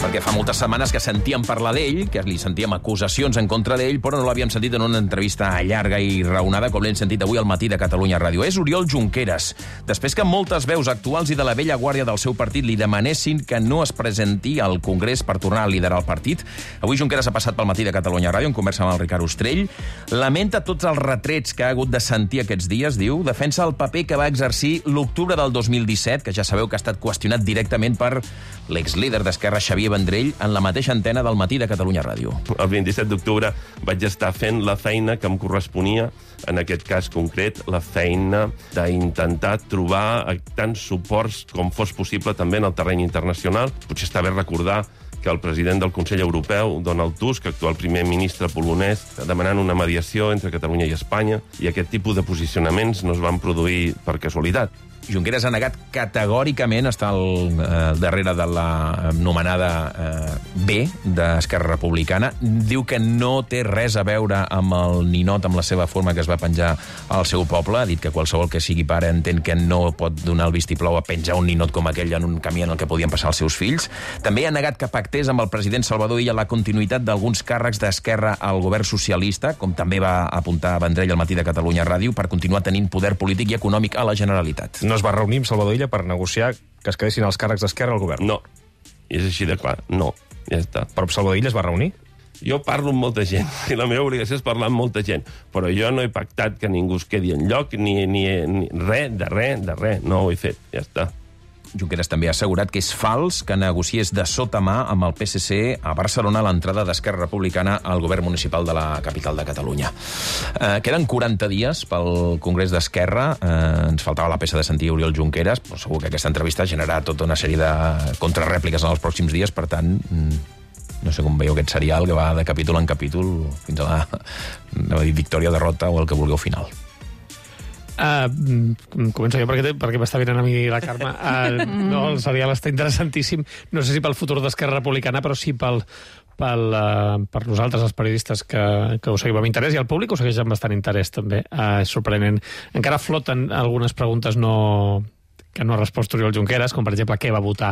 Perquè fa moltes setmanes que sentíem parlar d'ell, que li sentíem acusacions en contra d'ell, però no l'havíem sentit en una entrevista llarga i raonada com l'hem sentit avui al matí de Catalunya Ràdio. És Oriol Junqueras. Després que moltes veus actuals i de la vella guàrdia del seu partit li demanessin que no es presenti al Congrés per tornar a liderar el partit, avui Junqueras ha passat pel matí de Catalunya Ràdio en conversa amb el Ricard Ostrell, lamenta tots els retrets que ha hagut de sentir aquests dies, diu, defensa el paper que va exercir l'octubre del dos mil disset, que ja sabeu que ha estat qüestionat directament per l'exlíder d'Esquerra, Xavier Vendrell, en la mateixa antena del matí de Catalunya Ràdio. El vint-i-set d'octubre vaig estar fent la feina que em corresponia, en aquest cas concret, la feina d'intentar trobar tants suports com fos possible també en el terreny internacional. Potser està bé recordar que el president del Consell Europeu, Donald Tusk, actual primer ministre polonès, demanant una mediació entre Catalunya i Espanya, i aquest tipus de posicionaments no es van produir per casualitat. Junqueras ha negat categòricament estar al eh, darrere de la nomenada eh, B d'Esquerra Republicana. Diu que no té res a veure amb el ninot, amb la seva forma que es va penjar al seu poble. Ha dit que qualsevol que sigui pare entén que no pot donar el vistiplau a penjar un ninot com aquell en un camí en el que podien passar els seus fills. També ha negat que pactés amb el president Salvador Illa la continuïtat d'alguns càrrecs d'Esquerra al govern socialista, com també va apuntar Vendrell al matí de Catalunya Ràdio, per continuar tenint poder polític i econòmic a la Generalitat. No es va reunir amb Salvador Illa per negociar que es quedessin els càrrecs d'Esquerra al govern? No. I és així de clar. No. Ja està. Però Salvador Illa es va reunir? Jo parlo amb molta gent, i la meva obligació és parlar amb molta gent, però jo no he pactat que ningú es quedi enlloc, ni, ni, ni res, de res, de res. No ho he fet. Ja està. Junqueras també ha assegurat que és fals que negociés de sota mà amb el P S C a Barcelona l'entrada d'Esquerra Republicana al govern municipal de la capital de Catalunya. Eh, queden quaranta dies pel Congrés d'Esquerra. Eh, ens faltava la peça de sentir Oriol Junqueras, però segur que aquesta entrevista generarà tota una sèrie de contrarèpliques en els pròxims dies, per tant, no sé com veieu aquest serial que va de capítol en capítol fins a la, no dir, victòria, derrota o el que vulgueu final. Uh, començo jo perquè, perquè m'està venint a mi la Carme. Uh, no, el serial està interessantíssim, no sé si pel futur d'Esquerra Republicana, però sí pel, pel, uh, per nosaltres, els periodistes que, que ho seguim amb interès, i el públic ho segueix amb bastant interès també. Uh, és sorprenent. Encara floten algunes preguntes no... que no ha respost Oriol Junqueras, com per exemple què va votar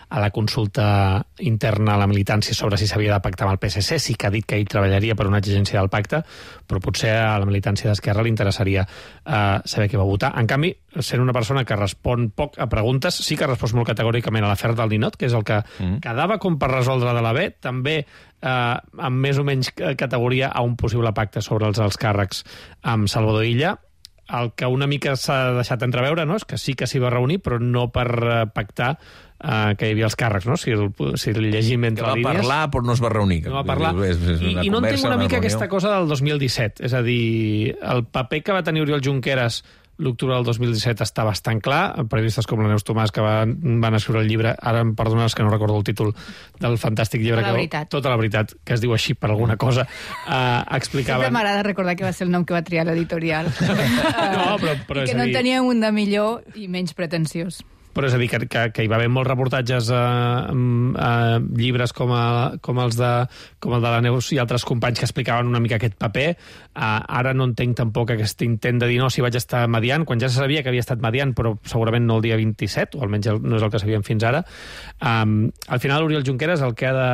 a la consulta interna a la militància sobre si s'havia de pactar amb el P S C. Sí que ha dit que ell treballaria per una exigència del pacte, però potser a la militància d'Esquerra li interessaria uh, saber què va votar. En canvi, sent una persona que respon poc a preguntes, sí que ha respost molt categòricament a l'afer del ninot, que és el que mm. quedava com per resoldre de la B, també uh, amb més o menys categoria a un possible pacte sobre els alts càrrecs amb Salvador Illa. El que una mica s'ha deixat entreveure, no?, és que sí que s'hi va reunir, però no per pactar uh, que hi havia els càrrecs, no? Si el, si el llegim entre línies... Que va parlar, però no es va reunir. No va parlar. És, és I, I no entenc una mica una aquesta cosa del dos mil disset. És a dir, el paper que va tenir Oriol Junqueras l'octubre del dos mil disset està bastant clar. Periodistes com la Neus Tomàs, que van, van escriure el llibre, ara em perdones que no recordo el títol del fantàstic llibre, Tota la que, veritat. Tota la veritat, que es diu així per alguna cosa, uh, explicaven... Sempre m'agrada recordar que va ser el nom que va triar l'editorial. No, però, però I que és no a dir... en teníem un de millor i menys pretensiós. però és a dir, que, que, que hi va haver molts reportatges a, a llibres com, a, com, els de, com el de la Neus i altres companys que explicaven una mica aquest paper. Uh, ara no entenc tampoc aquest intent de dir no, si vaig estar mediant, quan ja se sabia que havia estat mediant, però segurament no el dia vint-i-set, o almenys no és el que sabíem fins ara. Um, al final, Oriol Junqueras el que, ha de,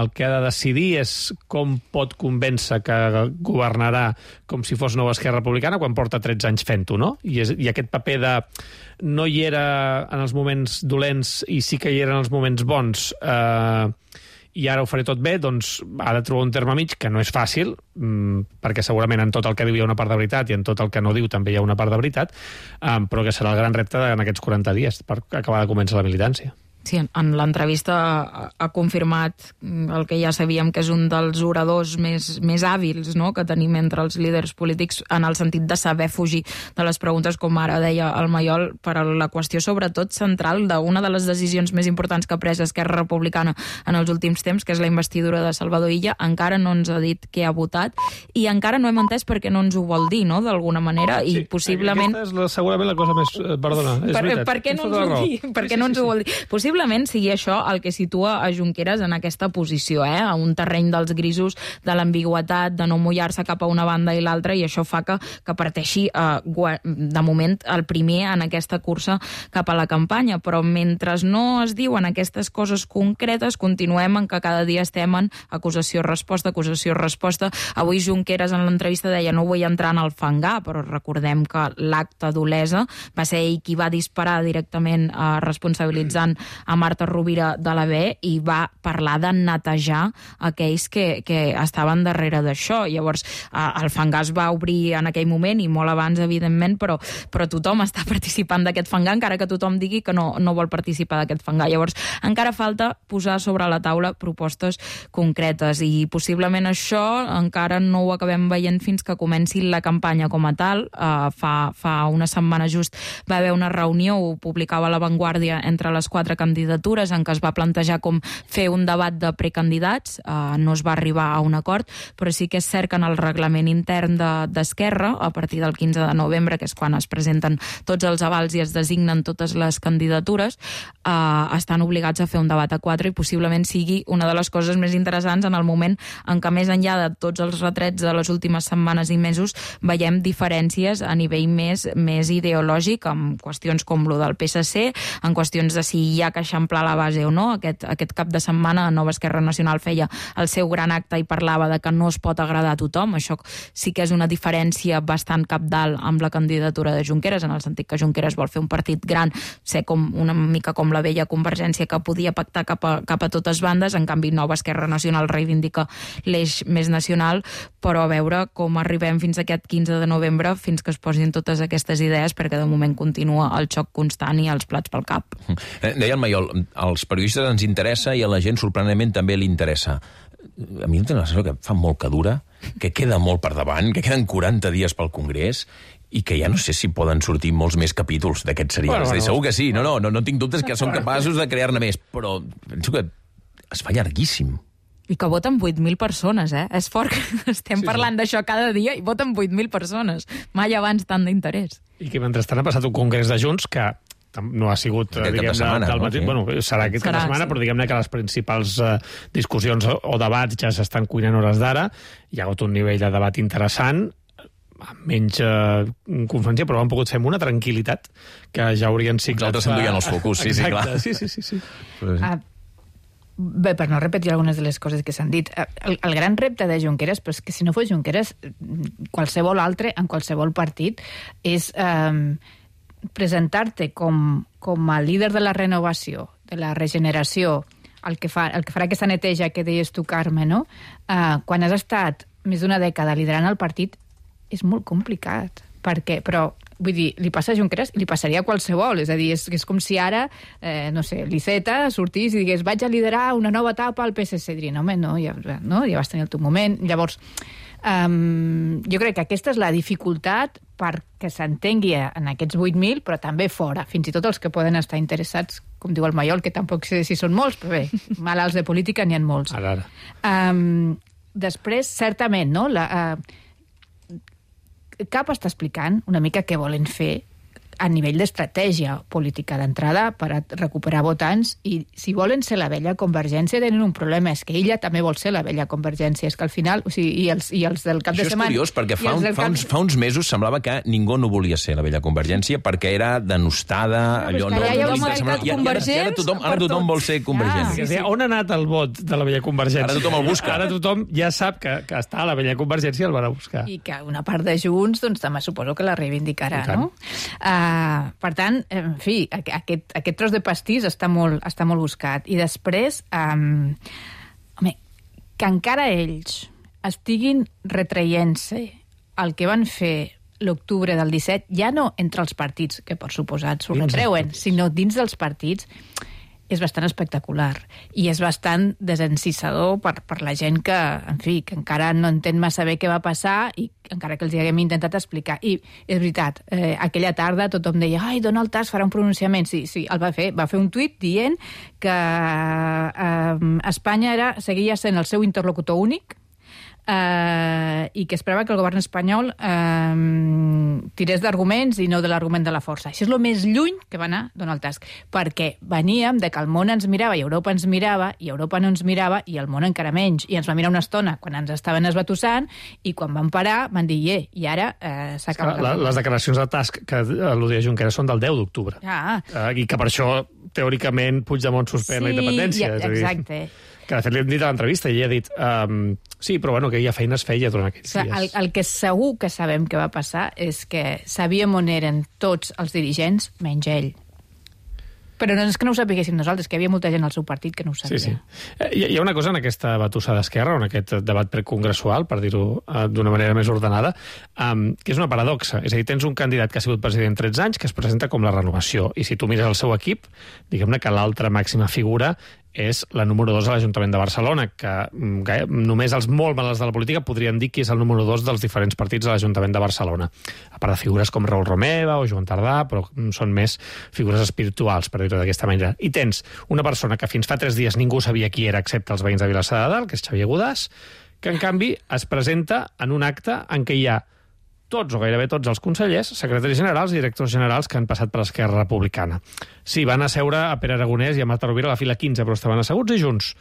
el que ha de decidir és com pot convèncer que governarà com si fos nova Esquerra Republicana quan porta tretze anys fent-ho, no? I, és, i aquest paper de no hi era en els moments dolents i sí que hi era en els moments bons, eh, i ara ho faré tot bé, doncs ha de trobar un terme mig que no és fàcil, mmm, perquè segurament en tot el que diu hi ha una part de veritat i en tot el que no diu també hi ha una part de veritat, eh, però que serà el gran repte en aquests quaranta dies per acabar de començar la militància. Sí, en l'entrevista ha confirmat el que ja sabíem, que és un dels oradors més, més hàbils, no?, que tenim entre els líders polítics, en el sentit de saber fugir de les preguntes, com ara deia el Maiol, per a la qüestió sobretot central d'una de les decisions més importants que ha pres Esquerra Republicana en els últims temps, que és la investidura de Salvador Illa. Encara no ens ha dit què ha votat i encara no hem entès per què no ens ho vol dir, no?, d'alguna manera, i sí, possiblement... Aquesta és la, segurament la cosa més... Perdona, és per, veritat. Per què no ens ho vol dir? Per què no ens ho vol dir? Possiblement Possiblement sigui això el que situa a Junqueras en aquesta posició, eh? A un terreny dels grisos, de l'ambigüitat, de no mullar-se cap a una banda i l'altra, i això fa que, que parteixi eh, de moment el primer en aquesta cursa cap a la campanya. Però mentre no es diuen aquestes coses concretes, continuem en que cada dia estem en acusació-resposta, acusació-resposta. Avui Junqueras en l'entrevista deia no vull entrar en el fangar, però recordem que l'acte d'Olesa va ser ell qui va disparar directament eh, responsabilitzant a Marta Rovira de la B i va parlar de netejar aquells que, que estaven darrere d'això. Llavors, eh, el fangar es va obrir en aquell moment i molt abans, evidentment, però, però tothom està participant d'aquest fangar, encara que tothom digui que no, no vol participar d'aquest fangar. Llavors, encara falta posar sobre la taula propostes concretes i possiblement això encara no ho acabem veient fins que comenci la campanya com a tal. Eh, fa, fa una setmana just va haver una reunió, ho publicava La Vanguardia, entre les quatre candidatures en què es va plantejar com fer un debat de precandidats. Uh, no es va arribar a un acord, però sí que és cert que en el reglament intern d'Esquerra, a partir del quinze de novembre, que és quan es presenten tots els avals i es designen totes les candidatures, uh, estan obligats a fer un debat a quatre i possiblement sigui una de les coses més interessants en el moment en què, més enllà de tots els retrets de les últimes setmanes i mesos, veiem diferències a nivell més, més ideològic, amb qüestions com lo del P S C, en qüestions de si hi ha que eixamplar la base o no. Aquest, aquest cap de setmana Nova Esquerra Nacional feia el seu gran acte i parlava de que no es pot agradar a tothom. Això sí que és una diferència bastant cabdal amb la candidatura de Junqueras, en el sentit que Junqueras vol fer un partit gran, ser com una mica com la vella Convergència que podia pactar cap a, cap a totes bandes. En canvi, Nova Esquerra Nacional reivindica l'eix més nacional, però a veure com arribem fins a aquest quinze de novembre, fins que es posin totes aquestes idees, perquè de moment continua el xoc constant i els plats pel cap. Deia el Maiol, als periodistes ens interessa i a la gent sorprenentment també li interessa. A mi em té la sensació que fa molt que dura, que queda molt per davant, que queden quaranta dies pel Congrés i que ja no sé si poden sortir molts més capítols d'aquests serials. Bueno, bueno. Segur que sí, no, no, no, no tinc dubtes que són capaços de crear-ne més, però penso que es fa llarguíssim. I que voten vuit mil persones, eh? És fort que estem sí, parlant sí. d'això cada dia i voten vuit mil persones. Mai abans tant d'interès. I que mentrestant ha passat un congrés de Junts que no ha sigut, diguem-ne, de setmana, del matí. No? Bueno, serà aquest cap de setmana, sí. Però diguem-ne que les principals uh, discussions o debats ja s'estan cuinant hores d'ara. Hi ha hagut un nivell de debat interessant, amb menys uh, conferència, però han pogut fer amb una tranquil·litat que ja haurien sigut... Els altres s'enduien els focus, sí, sí, clar. Sí, sí, sí. sí. Però sí. Uh, bé, per no repetir algunes de les coses que s'han dit, el, el gran repte de Junqueras, però és que si no fos Junqueras, qualsevol altre, en qualsevol partit, és... Um, presentar-te com, com a líder de la renovació, de la regeneració, el que, fa, el que farà aquesta neteja que deies tu, Carme, no? Uh, quan has estat més d'una dècada liderant el partit, és molt complicat. Perquè, però, vull dir, li passa a Junqueras i li passaria a qualsevol. És a dir, és, és com si ara, eh, no sé, l'Iceta sortís i digués vaig a liderar una nova etapa al P S C. Diria, no, home, no, ja, no, ja vas tenir el teu moment. Llavors, um, jo crec que aquesta és la dificultat perquè s'entengui en aquests vuit mil, però també fora, fins i tot els que poden estar interessats, com diu el Maiol, que tampoc sé si són molts, però bé, malalts de política n'hi ha molts. Ara, ara. Um, després, certament, no? La, uh, Cap està explicant una mica què volen fer a nivell d'estratègia política d'entrada per a recuperar votants, i si volen ser la vella Convergència tenen un problema, és que ella també vol ser la vella Convergència, és que al final, o sigui, i els, i els del cap Això de setmana... Això és curiós, perquè fa, un, fa, uns, fa uns mesos semblava que ningú no volia ser la vella Convergència perquè era denostada, no, allò... No, ja hi ha un mercat convergent, ara tothom, ara tothom vol ser convergent. Ja. Sí, sí. On ha anat el vot de la vella Convergència? Ara tothom el busca. Ara tothom ja sap que, que està a la vella Convergència i el van a buscar. I que una part de Junts, doncs també suposo que la reivindicarà, no? Uh, per tant, en fi, aquest, aquest tros de pastís està molt, està molt buscat. I després, um, home, que encara ells estiguin retraient-se el que van fer l'octubre del disset, ja no entre els partits, que per suposat s'ho retreuen, sinó dins dels partits, és bastant espectacular i és bastant desencissador per, per la gent que, en fi, que encara no entén massa bé què va passar i encara que els hi haguem intentat explicar. I és veritat, eh, aquella tarda tothom deia ai, Donald Tusk farà un pronunciament. Sí, sí, el va fer. Va fer un tuit dient que eh, Espanya era, seguia sent el seu interlocutor únic, Uh, i que esperava que el govern espanyol uh, tirés d'arguments i no de l'argument de la força. Això és el més lluny que va anar Donald Tusk, perquè veníem de que el món ens mirava i Europa ens mirava, i Europa no ens mirava i el món encara menys, i ens va mirar una estona quan ens estaven esbatussant i quan van parar van dir, yeah, i ara uh, s'ha acabat. La, les declaracions de Tusk que al·ludia Junqueras són del deu d'octubre. Ah. Uh, I que per això, teòricament, Puigdemont suspèn sí, la independència. Ja, exacte. Que de fet li hem dit a l'entrevista i ella ha dit um, sí, però bueno, que ja feina es feia durant aquells o sigui, dies. El, el que segur que sabem que va passar és que sabíem on eren tots els dirigents, menys ell. Però no és que no ho sapiguéssim nosaltres, que hi havia molta gent al seu partit que no ho sabia. Sí, sí. Hi, hi ha una cosa en aquesta batussa d'Esquerra, en aquest debat precongressual, per dir-ho uh, d'una manera més ordenada, um, que és una paradoxa. És a dir, tens un candidat que ha sigut president tretze anys que es presenta com la renovació. I si tu mires el seu equip, diguem-ne que l'altra màxima figura és la número dos a l'Ajuntament de Barcelona, que gaire, només els molt malalts de la política podrien dir que és el número dos dels diferents partits de l'Ajuntament de Barcelona. A part de figures com Raül Romeva o Joan Tardà, però són més figures espirituals, per dir-ho d'aquesta manera. I tens una persona que fins fa tres dies ningú sabia qui era, excepte els veïns de Vilassar de Dalt, que és Xavier Godàs, que en canvi es presenta en un acte en què hi ha tots o gairebé tots els consellers, secretaris generals i directors generals que han passat per l'Esquerra Republicana. Sí, van asseure a Pere Aragonès i a Marta Rovira a la fila quinze, però estaven asseguts i junts.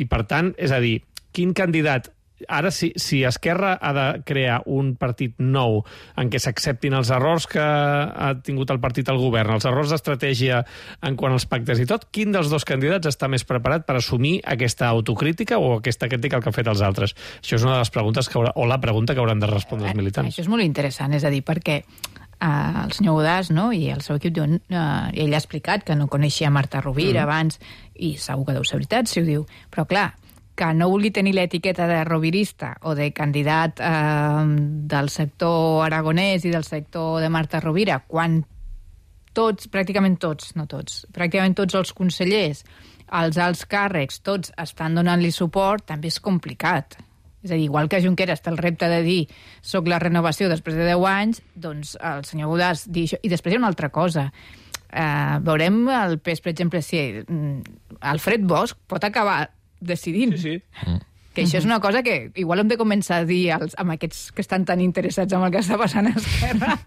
I, per tant, és a dir, quin candidat... Ara, si, si Esquerra ha de crear un partit nou en què s'acceptin els errors que ha tingut el partit al govern, els errors d'estratègia en quant als pactes i tot, quin dels dos candidats està més preparat per assumir aquesta autocrítica o aquesta crítica que han fet els altres? Això és una de les preguntes que haurà, o la pregunta que hauran de respondre els militants. Això és molt interessant, és a dir, perquè uh, el senyor Godàs, no?, i el seu equip diuen, uh, ell ha explicat que no coneixia Marta Rovira mm. abans, i segur que deu ser veritat si ho diu, però clar, que no vulgui tenir l'etiqueta de rovirista o de candidat eh, del sector aragonès i del sector de Marta Rovira, quan tots, pràcticament tots, no tots, pràcticament tots els consellers, els alts càrrecs, tots estan donant-li suport, també és complicat. És a dir, igual que Junqueras té el repte de dir soc la renovació després de deu anys, doncs el senyor Godàs dir això. I després hi ha una altra cosa. Uh, veurem el P E S, per exemple, si Alfred Bosch pot acabar decidint. Sí, sí. Mm. Que això és una cosa que igual hem de començar a dir als, amb aquests que estan tan interessats en el que està passant a Esquerra,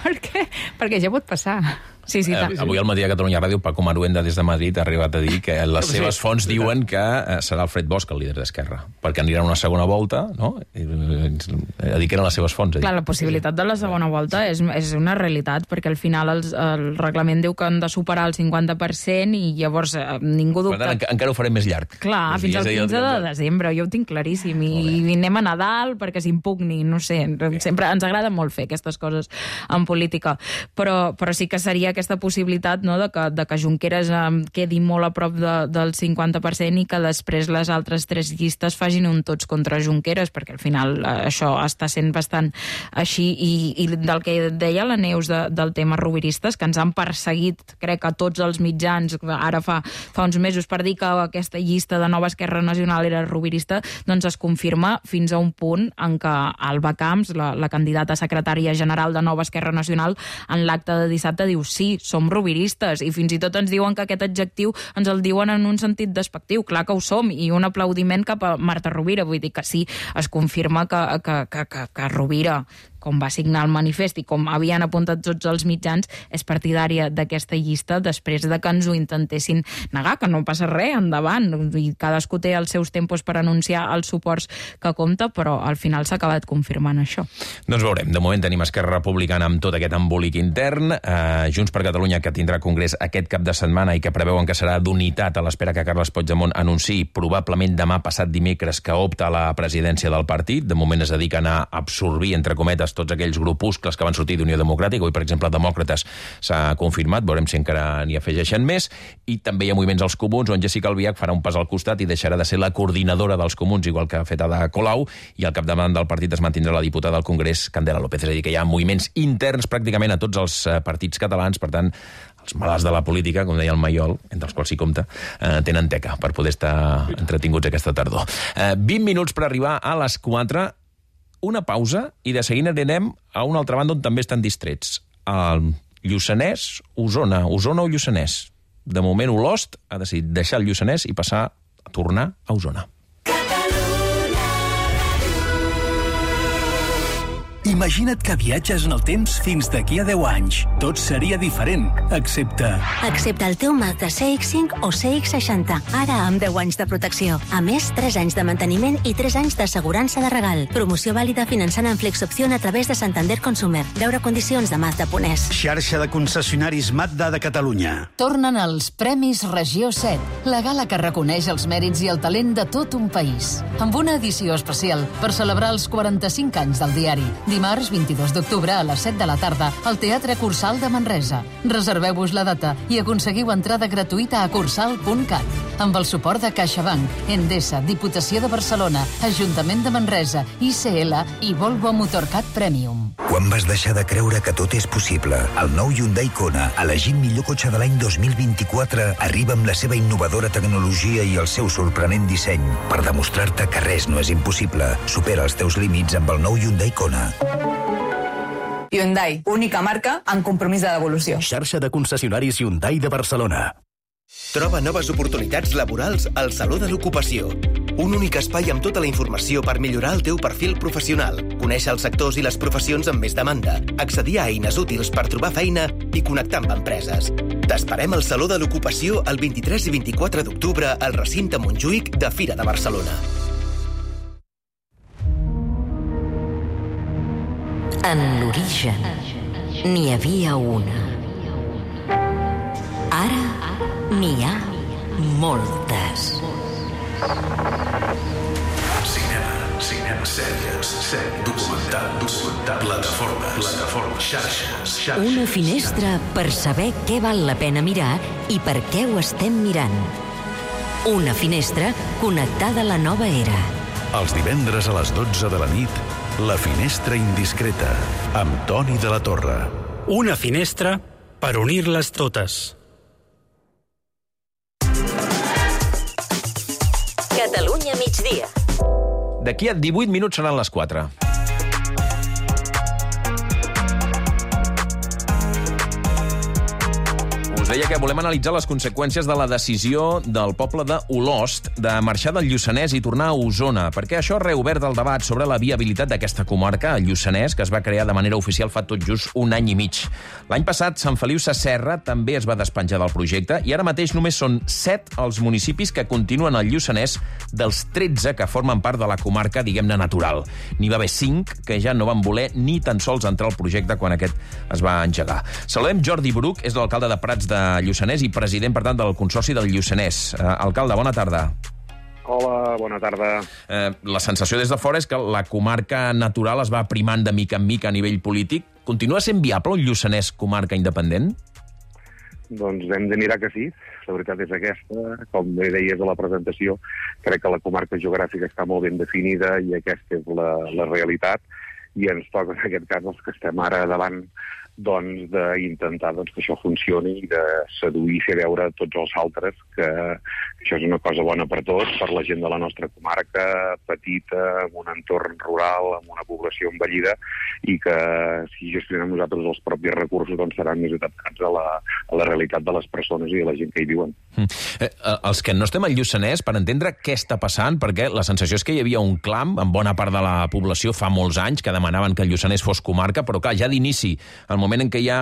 perquè, perquè ja pot passar. Sí, sí, eh, avui al matí a Catalunya Ràdio, Paco Maruenda des de Madrid ha arribat a dir que les seves sí, fonts diuen que eh, serà Alfred Bosch el líder d'Esquerra, perquè anirà una segona volta, no? I, eh, a dir que eren les seves fonts. Clar, la possibilitat de la segona volta és, és una realitat, perquè al final els, el reglament diu que han de superar el cinquanta per cent i llavors eh, ningú dubta... Per tant, enca encara ho farem més llarg. Clar, fins al quinze de desembre, jo ho tinc claríssim, i, i anem a Nadal perquè s'impugni, no sé, sempre ens agrada molt fer aquestes coses en política, però, però sí que seria aquesta possibilitat, no?, de, que, de que Junqueras eh, quedi molt a prop de, del cinquanta per cent i que després les altres tres llistes facin un tots contra Junqueras, perquè al final eh, això està sent bastant així, i, i del que deia la Neus de, del tema roviristes, que ens han perseguit, crec que tots els mitjans, ara fa, fa uns mesos, per dir que aquesta llista de Nova Esquerra Nacional era rovirista, doncs es confirma fins a un punt en què Alba Camps, la, la candidata secretària general de Nova Esquerra Nacional, en l'acte de dissabte diu sí, som roviristes, i fins i tot ens diuen que aquest adjectiu ens el diuen en un sentit despectiu, clar que ho som, i un aplaudiment cap a Marta Rovira, vull dir que sí, es confirma que, que, que, que, que Rovira com va signar el manifest i com havien apuntat tots els mitjans, és partidària d'aquesta llista després de que ens ho intentessin negar, que no passa res, endavant, i cadascú té els seus tempos per anunciar els suports que compta, però al final s'ha acabat confirmant això. Doncs veurem. De moment tenim Esquerra Republicana amb tot aquest embolic intern, eh, Junts per Catalunya, que tindrà congrés aquest cap de setmana i que preveuen que serà d'unitat a l'espera que Carles Puigdemont anunciï probablement demà passat dimecres que opta a la presidència del partit. De moment es dediquen a absorbir, entre cometes, tots aquells grupuscles que van sortir d'Unió Democràtica. Avui, per exemple, Demòcrates s'ha confirmat, veurem si encara n'hi afegeixen més. I també hi ha moviments als Comuns, on Jéssica Albiach farà un pas al costat i deixarà de ser la coordinadora dels Comuns, igual que ha fet Ada Colau, i al capdavant del partit es mantindrà la diputada al Congrés, Candela López. És a dir, que hi ha moviments interns pràcticament a tots els partits catalans, per tant, els malalts de la política, com deia el Maiol, entre els quals s'hi compta, eh, tenen teca per poder estar entretinguts aquesta tardor. Eh, vint minuts per arribar a les quatre, una pausa, i de seguida anem a una altra banda on també estan distrets. El Lluçanès, Osona, Osona o Lluçanès. De moment, Olost ha decidit deixar el Lluçanès i passar a tornar a Osona. Imagina't que viatges en el temps fins d'aquí a deu anys. Tot seria diferent, excepte... Excepte el teu Mazda C X cinc o C X seixanta, ara amb deu anys de protecció. A més, tres anys de manteniment i tres anys d'assegurança de regal. Promoció vàlida finançant en Flexopció a través de Santander Consumer. Veure condicions de Mazda punt es. Xarxa de concessionaris Mazda de Catalunya. Tornen els Premis Regió set, la gala que reconeix els mèrits i el talent de tot un país. Amb una edició especial per celebrar els quaranta-cinc anys del diari. Dimarts vint-i-dos d'octubre a les set de la tarda al Teatre Cursal de Manresa. Reserveu-vos la data i aconseguiu entrada gratuïta a cursal punt cat. Amb el suport de CaixaBank, Endesa, Diputació de Barcelona, Ajuntament de Manresa, I C L i Volvo Motorcat Premium. Quan vas deixar de creure que tot és possible? El nou Hyundai Kona, elegit millor cotxe de l'any dos mil vint-i-quatre, arriba amb la seva innovadora tecnologia i el seu sorprenent disseny per demostrar-te que res no és impossible. Supera els teus límits amb el nou Hyundai Kona. Hyundai, única marca amb compromís de devolució. Xarxa de concessionaris Hyundai de Barcelona. Troba noves oportunitats laborals al Saló de l'Ocupació. Un únic espai amb tota la informació per millorar el teu perfil professional, conèixer els sectors i les professions amb més demanda, accedir a eines útils per trobar feina i connectar amb empreses. T'esperem al Saló de l'Ocupació el vint-i-tres i vint-i-quatre d'octubre al recinte Montjuïc de Fira de Barcelona. En l'origen n'hi havia una. Ara n'hi ha moltes. Cinema, cinema, sèries, sèries, documental, documental, plataformes, plataformes, xarxes, xarxes. Una finestra per saber què val la pena mirar i per què ho estem mirant. Una finestra connectada a la nova era. Els divendres a les dotze de la nit, La finestra indiscreta, amb Toni de la Torre. Una finestra per unir-les totes. Catalunya migdia. D'aquí a divuit minuts seran les quatre. Us deia que volem analitzar les conseqüències de la decisió del poble de Olost de marxar del Lluçanès i tornar a Osona, perquè això ha reobert el debat sobre la viabilitat d'aquesta comarca, el Lluçanès, que es va crear de manera oficial fa tot just un any i mig. L'any passat, Sant Feliu Sasserra també es va despenjar del projecte i ara mateix només són set els municipis que continuen al Lluçanès dels tretze que formen part de la comarca, diguem-ne, natural. N'hi va haver cinc que ja no van voler ni tan sols entrar al projecte quan aquest es va engegar. Saludem Jordi Bruc, és l'alcalde de Prats de Lluçanès i president, per tant, del Consorci del Lluçanès. Eh, alcalde, bona tarda. Hola, bona tarda. Eh, la sensació des de fora és que la comarca natural es va primant de mica en mica a nivell polític. Continua sent viable un Lluçanès comarca independent? Doncs hem de mirar que sí. La veritat és aquesta. Com bé deies a la presentació, crec que la comarca geogràfica està molt ben definida i aquesta és la, la realitat. I ens toca, en aquest cas, els que estem ara davant doncs, d'intentar doncs, que això funcioni i de seduir i fer veure a tots els altres que, que això és una cosa bona per tots, per la gent de la nostra comarca, petita, amb un entorn rural, amb una població envellida, i que si gestionem nosaltres els propis recursos doncs seran més adaptats a la, a la realitat de les persones i de la gent que hi viuen. Mm. Eh, els que no estem al Lluçanès, per entendre què està passant, perquè la sensació és que hi havia un clam en bona part de la població fa molts anys que demanaven que el Lluçanès fos comarca, però clar, ja d'inici, al moment en què hi ha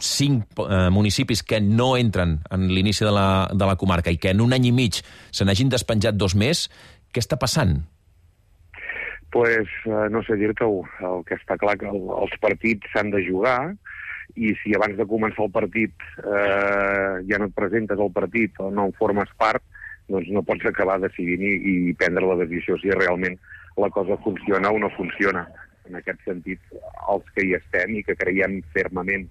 cinc eh, municipis que no entren en l'inici de, la, de la comarca i que en un any i mig se n'hagin despenjat dos més, què està passant? Pues, eh, no sé dir-te-ho. El que està clar que el, els partits s'han de jugar, i si abans de començar el partit eh, ja no et presentes al partit o no en formes part, doncs no pots acabar decidint i, i prendre la decisió si realment la cosa funciona o no funciona. En aquest sentit, els que hi estem i que creiem fermament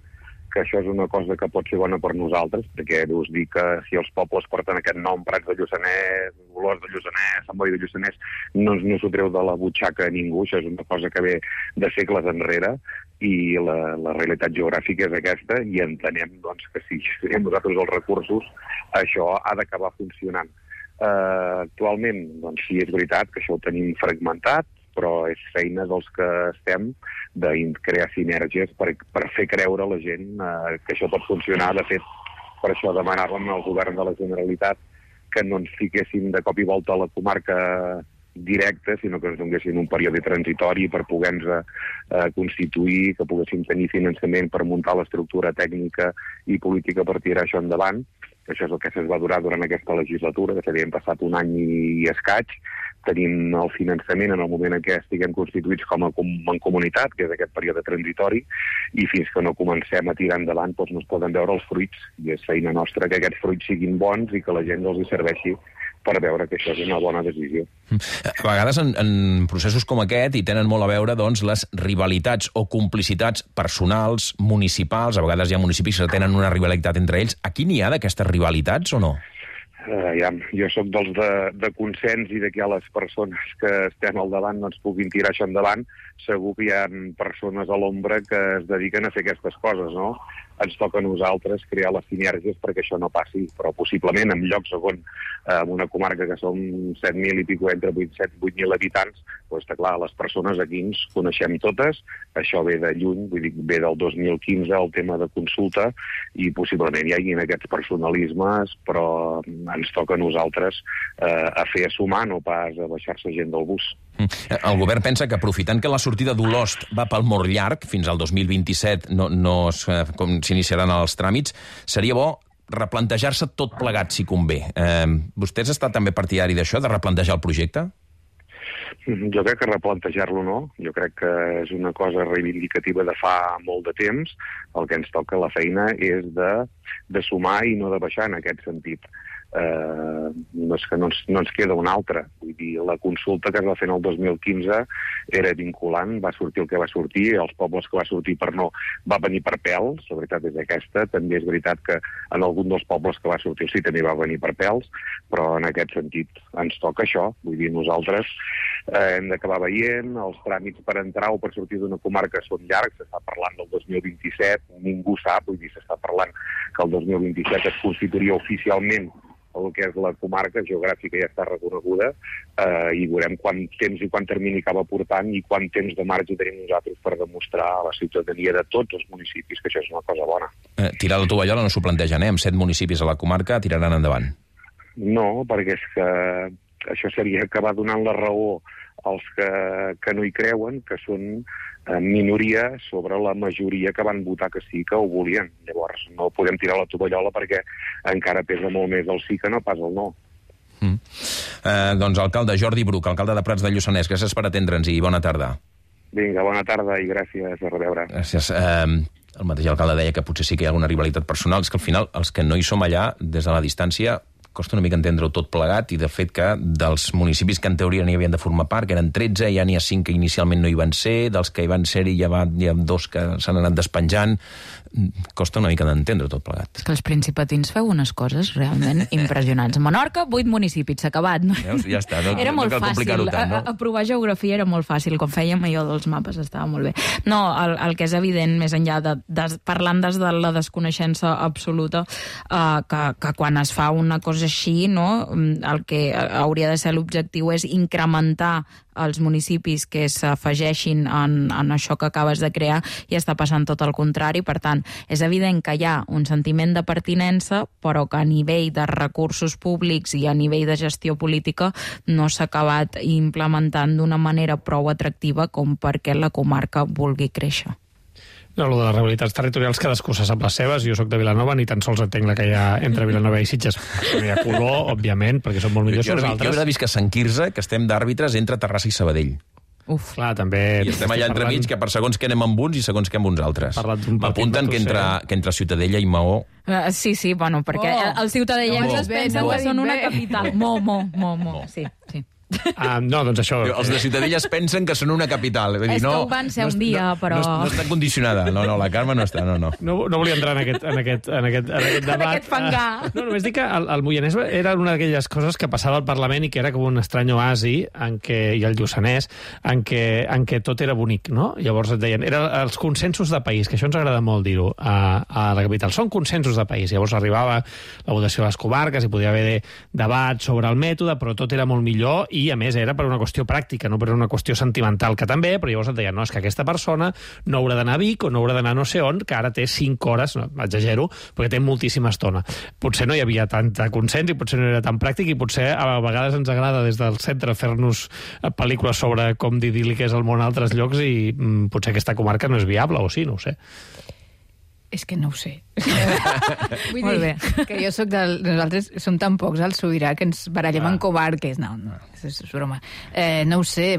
que això és una cosa que pot ser bona per nosaltres, perquè us dic que si els pobles porten aquest nom, Prats de Lluçanès, Olors de Lluçanès, Sant Boi de Lluçanès, no, no s'ho treu de la butxaca a ningú, això és una cosa que ve de segles enrere, i la, la realitat geogràfica és aquesta, i entenem doncs, que si gestionem nosaltres els recursos, això ha d'acabar funcionant. Uh, actualment, doncs sí, és veritat que això ho tenim fragmentat, però és feina dels que estem de crear sinergies per, per fer creure a la gent eh, que això pot funcionar. De fet, per això demanàvem al govern de la Generalitat que no ens fiquessin de cop i volta a la comarca directa, sinó que ens donguessin un període transitori per poder-nos eh, constituir, que poguéssim tenir finançament per muntar l'estructura tècnica i política per tirar això endavant. Això és el que es va durar durant aquesta legislatura, de fet, hem passat un any i escaig, tenim el finançament en el moment en què estiguem constituïts com a com, en comunitat, que és aquest període transitori, i fins que no comencem a tirar endavant doncs no es poden veure els fruits, i és feina nostra que aquests fruits siguin bons i que la gent els hi serveixi per veure que això és una bona decisió. A vegades en, en processos com aquest hi tenen molt a veure doncs, les rivalitats o complicitats personals, municipals, a vegades hi ha municipis que tenen una rivalitat entre ells. Aquí n'hi ha d'aquestes rivalitats o no? Uh, ja, jo sóc dels de, de consens i de que les persones que estem al davant no ens puguin tirar això endavant. Segur que hi ha persones a l'ombra que es dediquen a fer aquestes coses, no? Ens toca a nosaltres crear les sinergies perquè això no passi, però possiblement en llocs on, eh, en una comarca que som set mil i pico, entre set i vuit mil habitants, doncs està clar, les persones aquí ens coneixem totes, això ve de lluny, vull dir, ve del dos mil quinze el tema de consulta, i possiblement hi hagi aquests personalismes, però ens toca a nosaltres eh, a fer a sumar, no pas a baixar-se gent del bus. El govern pensa que aprofitant que la sortida d'Olost va pel molt llarg, fins al dos mil vint-i-set no, no com s'iniciaran els tràmits, seria bo replantejar-se tot plegat, si convé. Eh, vostè has estat també partidari d'això, de replantejar el projecte? Jo crec que replantejar-lo no. Jo crec que és una cosa reivindicativa de fa molt de temps. El que ens toca la feina és de, de sumar i no de baixar en aquest sentit. Eh, no és que no ens, no ens queda una altra. Vull dir, la consulta que es va fer en el dos mil quinze era vinculant, va sortir el que va sortir, els pobles que va sortir per no va venir per pèls, la veritat és aquesta. També és veritat que en algun dels pobles que va sortir sí també va venir per pèls, però en aquest sentit ens toca això. Vull dir, nosaltres eh, hem d'acabar veient, els tràmits per entrar o per sortir d'una comarca són llargs, s'està parlant del dos mil vint-i-set, ningú sap, vull dir, s'està parlant que el dos mil vint-i-set es constituiria oficialment el que és la comarca geogràfica ja està reconeguda, eh, i veurem quant temps i quant termini acaba portant i quant temps de marge tenim nosaltres per demostrar a la ciutadania de tots els municipis que això és una cosa bona. Eh, tirar la tovallola no s'ho plantegen, eh? Amb set municipis a la comarca tiraran endavant. No, perquè és que això seria acabar donant la raó als que, que no hi creuen, que són eh, minoria sobre la majoria que van votar que sí, que ho volien. Llavors no podem tirar la tovallola perquè encara pesa molt més el sí que no pas el no. Mm. Eh, doncs alcalde Jordi Bruch, alcalde de Prats de Lluçanès, gràcies per atendre'ns i bona tarda. Vinga, bona tarda i gràcies, a reveure. Gràcies. Eh, el mateix alcalde deia que potser sí que hi ha alguna rivalitat personal, és que al final els que no hi som allà, des de la distància, costa una mica entendre-ho tot plegat, i de fet que dels municipis que en teoria n'hi havien de formar part, que eren tretze, ja n'hi ha cinc que inicialment no hi van ser, dels que hi van ser-hi ja va, hi ha dos que s'han anat despenjant. costa una mica d'entendre tot plegat. És que els principatins feu unes coses realment impressionants. Menorca, vuit municipis, s'ha acabat. No? Veus? Ja està, no, era no molt cal fàcil, complicar-ho tant, no? Aprovar geografia era molt fàcil, com fèiem allò dels mapes estava molt bé. No, el, el que és evident, més enllà de, de parlant des de la desconeixença absoluta, eh, que, que quan es fa una cosa així, no, el que hauria de ser l'objectiu és incrementar els municipis que s'afegeixin en, en això que acabes de crear, i està passant tot el contrari. Per tant, és evident que hi ha un sentiment de pertinença, però que a nivell de recursos públics i a nivell de gestió política no s'ha acabat implementant d'una manera prou atractiva com perquè la comarca vulgui créixer. No, el de les realitats territorials cadascú se sap les seves. Jo soc de Vilanova, ni tan sols entenc la que hi ha entre Vilanova i Sitges. No hi ha color, òbviament, perquè són molt millors que nosaltres. Jo he vist que a Sant Quirze, que estem d'àrbitres entre Terrassa i Sabadell. Uf, clar, també... I estem allà entremig, que per segons que anem amb uns i segons que amb uns altres. M'apunten que entre, que entre Ciutadella i Maó... Uh, sí, sí, bueno, perquè oh. els ciutadellencs es pensen que són una capital. Mo, mo, mo, mo, sí, sí. Uh, no, doncs això... Els de Ciutadella es pensen que són una capital. Vull dir, és no, que ho van ser no, un dia, no, però... No, no està condicionada. No, no, la Carme no està, no, no. No, no volia entrar en aquest, en aquest, en aquest, en aquest debat. En aquest fangar. Uh, no, només dic que el, el Moianès era una d'aquelles coses que passava al Parlament i que era com un estrany oasi, en què, i el Lluçanès, en què, en què tot era bonic, no? Llavors et deien, eren els consensos de país, que això ens agrada molt dir-ho a, a la capital. Són consensos de país. Llavors arribava la votació a les comarques i podia haver debat sobre el mètode, però tot era molt millor i, a més, era per una qüestió pràctica, no per una qüestió sentimental, que també, però llavors et deien, no, és que aquesta persona no haurà d'anar a Vic o no haurà d'anar no sé on, que ara té cinc hores, no, exagero, perquè té moltíssima estona. Potser no hi havia tanta consens i potser no era tan pràctic i potser a vegades ens agrada des del centre fer-nos pel·lícules sobre com d'idíl·lic és el món a altres llocs i mm, potser aquesta comarca no és viable, o sí, no ho sé. És que no ho sé. Vull dir bé. Que jo soc del... Nosaltres som tan pocs al Sobirà que ens barallem ah. en comarques. No, no, és, és broma. Eh, no ho sé.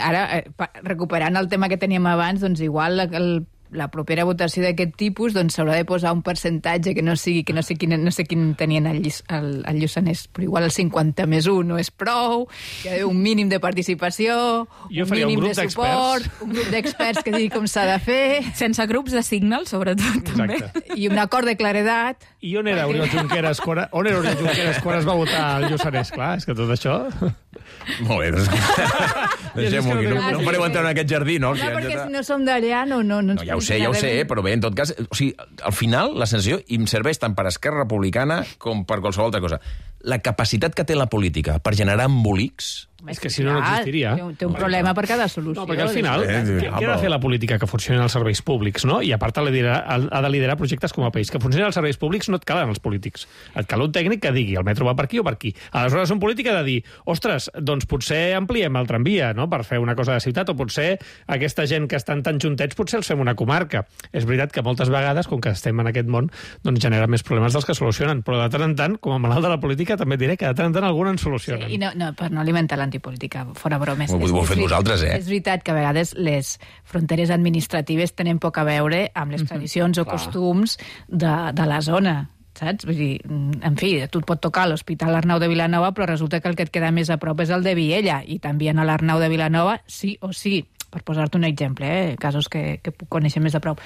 Ara, eh, recuperant el tema que teníem abans, doncs igual el la propera votació d'aquest tipus doncs s'haurà de posar un percentatge que no sigui, que no sé quin, no sé quin tenien al el Lluçanès, però igual el cinquanta més un no és prou, hi ha un mínim de participació, jo un mínim un de suport, un grup d'experts que digui com s'ha de fer. Sense grups de signal, sobretot, també. Exacte. I un acord de claredat. I on era Oriol Junqueras quan, on era Oriol Junqueras quan es va votar al Lluçanès? Clar, és que tot això... Molt bé, doncs... Deixem-ho aquí, no, no fareu entrar en aquest jardí, no? No, perquè si no som d'allà, no, no, no, no... Ja ho sé, ja ho sé, però bé, en tot cas... O sigui, al final, la sensació em serveix tant per Esquerra Republicana com per qualsevol altra cosa. La capacitat que té la política per generar embolics... És que si no, no existiria. Té un, té un problema per cada solució. No, perquè al final, eh, què, què ha de fer la política? Que funcionin els serveis públics, no? I a part ha de liderar, ha de liderar projectes com a país. Que funcionin els serveis públics no et calen els polítics. Et cal un tècnic que digui el metro va per aquí o per aquí. Aleshores, un polític ha de dir, ostres, doncs potser ampliem el tramvia, no?, per fer una cosa de ciutat, o potser aquesta gent que estan tan juntets potser els fem una comarca. És veritat que moltes vegades, com que estem en aquest món, doncs genera més problemes dels que solucionen. Però de tant en tant, com a malalt de la política, també diré que de tant en tant alguna en solucionen. Sí, i no, no, per no alimentar l'antipolítica, fora bromes. Ho, ho heu fet vosaltres, eh? És veritat que a vegades les fronteres administratives tenen poc a veure amb les tradicions o Clar. costums de, de la zona, saps? Vull dir, en fi, tu et pot tocar l'Hospital Arnau de Vilanova, però resulta que el que et queda més a prop és el de Viella, i també a l'Arnau de Vilanova sí o sí, per posar-te un exemple, eh? Casos que, que puc conèixer més a prop.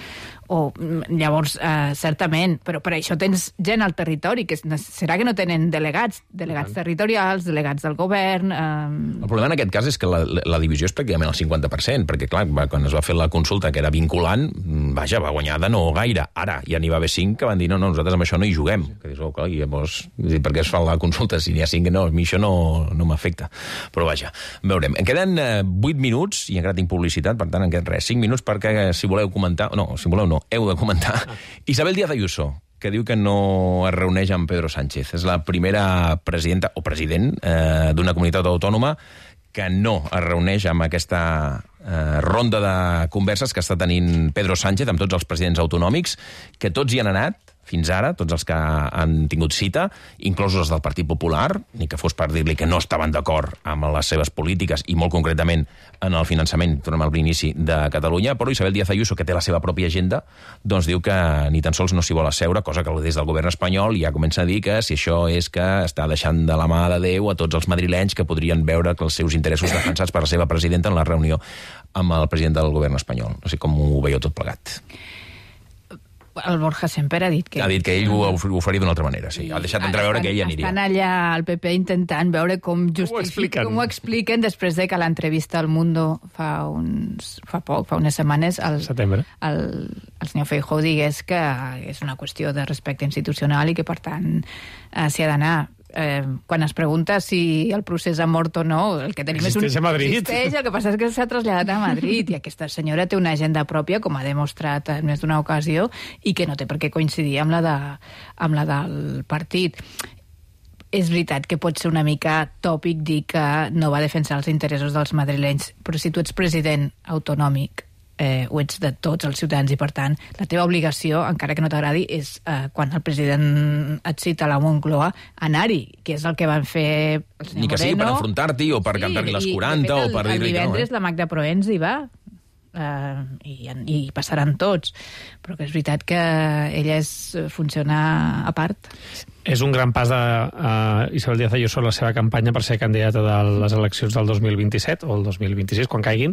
O, llavors, eh, certament, però per això tens gent al territori, que serà que no tenen delegats, delegats uh-huh. territorials, delegats del govern... Eh... El problema en aquest cas és que la, la divisió és pràcticament el cinquanta per cent, perquè, clar, va, quan es va fer la consulta que era vinculant, vaja, va guanyar de no gaire. Ara ja n'hi va haver cinc que van dir, no, no, nosaltres amb això no hi juguem. Que dius, oh, clar, i llavors, per què es fa la consulta? Si n'hi ha cinc, no, a mi això no, no m'afecta. Però vaja, veurem. En queden eh, vuit minuts, i encara tinc publicitat, per tant, en queden res, cinc minuts perquè, si voleu comentar, no, si voleu no, heu de comentar. Isabel Díaz Ayuso, que diu que no es reuneix amb Pedro Sánchez. És la primera presidenta o president eh, d'una comunitat autònoma que no es reuneix amb aquesta eh, ronda de converses que està tenint Pedro Sánchez amb tots els presidents autonòmics, que tots hi han anat, fins ara, tots els que han tingut cita, inclosos els del Partit Popular, ni que fos per dir-li que no estaven d'acord amb les seves polítiques i molt concretament en el finançament, tornem al inici de Catalunya, però Isabel Díaz Ayuso, que té la seva pròpia agenda, doncs diu que ni tan sols no s'hi vol asseure, cosa que des del govern espanyol ja comença a dir que si això és que està deixant de la mà de Déu a tots els madrilenys que podrien veure que els seus interessos defensats per la seva presidenta en la reunió amb el president del govern espanyol. No sé com ho veieu tot plegat. el Borja Semper ha dit que... Ha dit que ell ho, ho faria d'una altra manera, sí. Ha deixat entreveure que ell aniria. Estan allà al P P intentant veure com justifiquen, com ho expliquen després de que l'entrevista al Mundo fa, uns, fa poc, fa unes setmanes, el, Setembre. el, el senyor Feijóo digués que és una qüestió de respecte institucional i que, per tant, eh, s'hi ha d'anar. Eh, quan es pregunta si el procés ha mort o no, el que tenim existeix és un... a Madrid. Existeix, el que passa és que s'ha traslladat a Madrid i aquesta senyora té una agenda pròpia, com ha demostrat en més d'una ocasió, i que no té per què coincidir amb la, de, amb la del partit. És veritat que pot ser una mica tòpic dir que no va defensar els interessos dels madrilenys, però si tu ets president autonòmic, eh, ho ets de tots els ciutadans i, per tant, la teva obligació, encara que no t'agradi, és eh, quan el president et cita a la Moncloa, anar-hi, que és el que van fer el senyor Ni que sigui per enfrontar-t'hi o per sí, cantar-li les quaranta el, o per dir-li que no. El divendres la Magda Proens hi va, eh, i, i passaran tots, però que és veritat que ella és, funciona a part. És un gran pas de uh, Isabel Díaz Ayuso en la seva campanya per ser candidata de les eleccions del dos mil vint-i-set o el dos mil vint-i-sis, quan caiguin,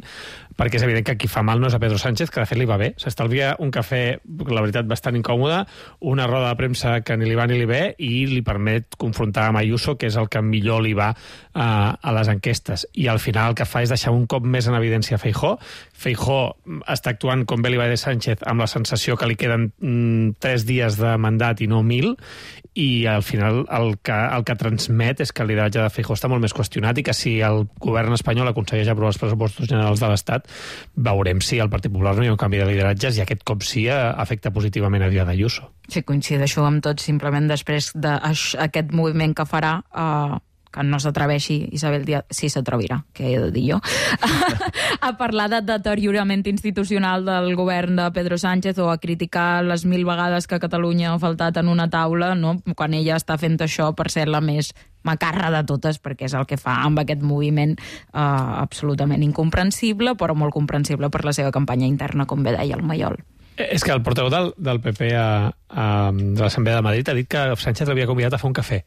perquè és evident que qui fa mal no és a Pedro Sánchez, que de fet li va bé. S'estalvia un cafè, la veritat, bastant incòmode, una roda de premsa que ni li va ni li ve, i li permet confrontar amb Ayuso, que és el que millor li va uh, a les enquestes. I al final el que fa és deixar un cop més en evidència Feijóo. Feijóo està actuant com bé li va de Sánchez, amb la sensació que li queden mm, tres dies de mandat i no mil, i al final el que, el que transmet és que el lideratge de Feijóo està molt més qüestionat i que si el govern espanyol aconsegueix aprovar els pressupostos generals de l'Estat, veurem si al Partit Popular no hi ha un canvi de lideratges i aquest cop sí afecta positivament a Díaz Ayuso. Sí, coincideixo amb tot, simplement després d'aquest moviment que farà... Uh... que no s'atreveixi Isabel Díaz, sí s'atrevirà, que he de dir jo, a parlar de deteriorament institucional del govern de Pedro Sánchez o a criticar les mil vegades que Catalunya ha faltat en una taula, no? Quan ella està fent això per ser la més macarra de totes, perquè és el que fa amb aquest moviment eh, absolutament incomprensible, però molt comprensible per la seva campanya interna, com bé deia el Maiol. És que el portaveu del, del P P a, a, de l'Assemblea de Madrid ha dit que Sánchez l'havia convidat a fer un cafè.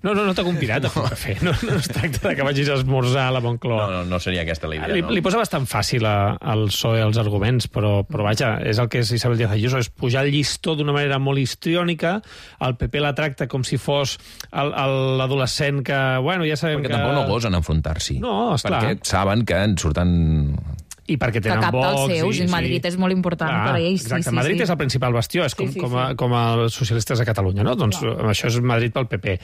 No, no, no t'ha convidat a fer un cafè. No, no es tracta de que vagis a esmorzar a la Moncloa. No, no, no seria aquesta la idea, li, no? Li posa bastant fàcil a, al P S O E els arguments, però, però vaja, és el que és Isabel Díaz Ayuso, és pujar el llistó d'una manera molt histriònica, el P P la tracta com si fos l'adolescent que, bueno, ja sabem perquè que... Perquè tampoc no gosen enfrontar-s'hi. No, esclar. Perquè saben que en surten... I perquè tenen que cap Vox... dels seus, i, i Madrid sí. és molt important ah, per ells. Exacte, sí, sí, Madrid sí. és el principal bastió, és com, sí, sí, com, a, sí. com els socialistes de Catalunya, no? Doncs no. Això és Madrid pel P P.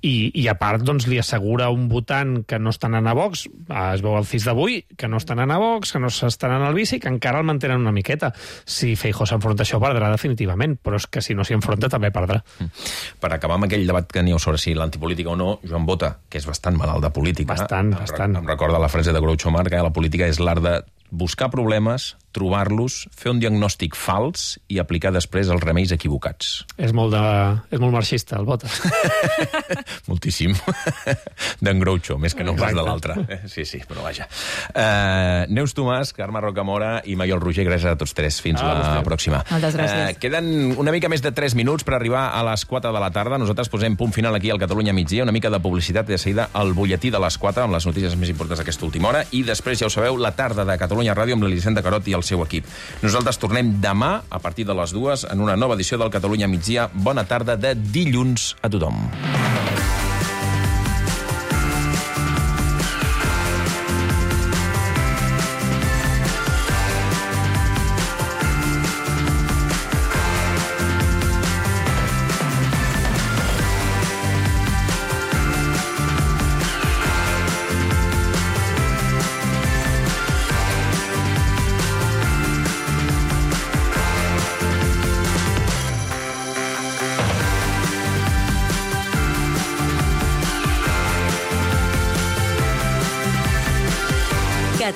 I, i a part, doncs, li assegura un votant que no estan anant a Vox, es veu el C I S d'avui, que no estan anant a Vox, que no estan anant al bici, que encara el mantenen una miqueta. Si Feijóo s'enfronta a això, perdrà definitivament, però és que si no s'hi enfronta també perdrà. Per acabar amb aquell debat que aneu sobre si l'antipolítica o no, Joan Bota, que és bastant malalt de política, bastant, em, bastant. em recorda la frase de Groucho Marx, que la política és l'art de buscar problemes, trobar-los, fer un diagnòstic fals i aplicar després els remeis equivocats. És molt, de... és molt marxista, el Bota. Moltíssim. D'en Groucho, més que no pas de l'altre. Sí, sí, però vaja. Uh, Neus Tomàs, Carme Rocamora i Maiol Roger, gràcies a tots tres. Fins ah, la vostè. pròxima. Moltes gràcies. Uh, queden una mica més de tres minuts per arribar a les quatre de la tarda. Nosaltres posem punt final aquí al Catalunya migdia, una mica de publicitat i de seguida el butlletí de les quatre amb les notícies més importants d'aquesta última hora i després, ja ho sabeu, la tarda de Catalunya Ràdio amb l'Elisenda Carot i el seu equip. Nosaltres tornem demà a partir de les dues en una nova edició del Catalunya migdia. Bona tarda de dilluns a tothom.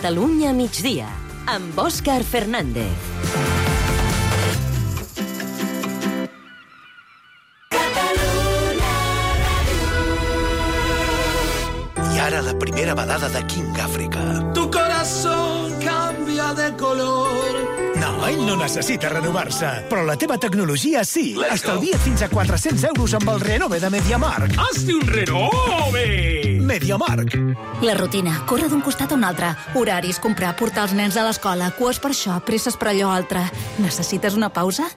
Catalunya migdia, amb Òscar Fernández. I ara la primera balada de King África. Tu corazón cambia de color. No, ell no necessita renovar-se, però la teva tecnologia sí. Estalvia't fins a quatre-cents euros amb el Renove de MediaMarkt. Hazte un Renove! MediaMarkt. La rutina, córrer d'un costat a un altre. Horaris, comprar, portar els nens a l'escola, cues per això, presses per allò altre. Necessites una pausa?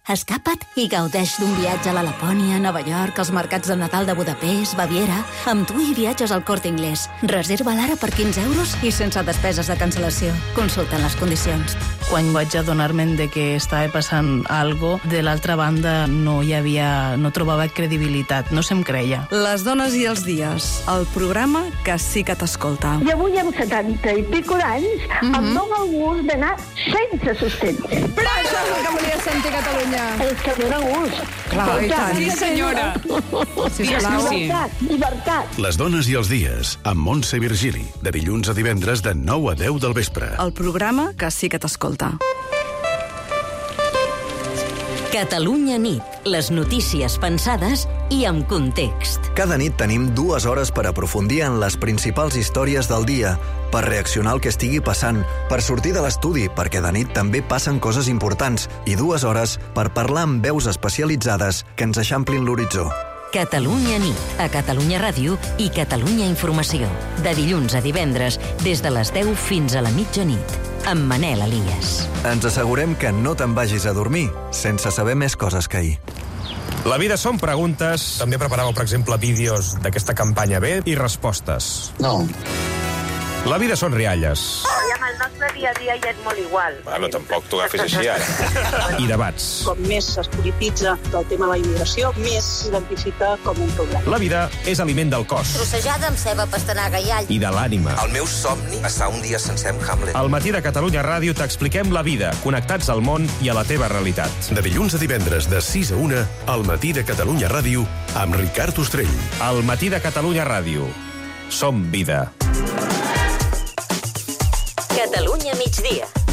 Escapa't i gaudeix d'un viatge a la Lapònia, Nova York, als mercats de Nadal de Budapest, Baviera. Amb tu hi viatges al Corte Inglés. Reserva l'ara per quinze euros i sense despeses de cancel·lació. Consulta les condicions. Quan vaig adonar-me'n de que estava passant algo, de l'altra banda no hi havia... no trobava credibilitat, no se'm creia. Les dones i els dies, el programa que sí que t'escolta. I avui amb setanta i pico d'anys mm -hmm. em dóna el gust d'anar sense sostén. Però això és el que volia sentir Catalunya. És que dóna gust. Clar, i tant. Sí, senyora. Sisplau. Llibertat, llibertat. Les dones i els dies, amb Montse Virgili, de dilluns a divendres de nou a deu del vespre. El programa que sí que t'escolta. Catalunya nit. Les notícies pensades i amb context. Cada nit tenim dues hores per aprofundir en les principals històries del dia, per reaccionar al que estigui passant, per sortir de l'estudi, perquè de nit també passen coses importants, i dues hores per parlar amb veus especialitzades que ens eixamplin l'horitzó. Catalunya nit, a Catalunya Ràdio i Catalunya Informació. De dilluns a divendres, des de les deu fins a la mitjanit. Amb Manel Elias. Ens assegurem que no te'n vagis a dormir sense saber més coses que ahir. La vida són preguntes. També preparàveu, per exemple, vídeos d'aquesta campanya B i respostes. No. La vida són rialles. I amb el nostre dia a dia ja és molt igual. Bueno, tampoc t'ho agafis així, ara. I debats. Com més es polititza el tema de la immigració, més s'identifica com un problema. La vida és aliment del cos. Trossejada amb ceba, pastanaga i all. I de l'ànima. El meu somni està un dia sencer amb Hamlet. Al matí de Catalunya Ràdio t'expliquem la vida, connectats al món i a la teva realitat. De dilluns a divendres, de sis a una, al matí de Catalunya Ràdio, amb Ricard Ostrell. Al matí de Catalunya Ràdio. Som vida. Catalunya migdia.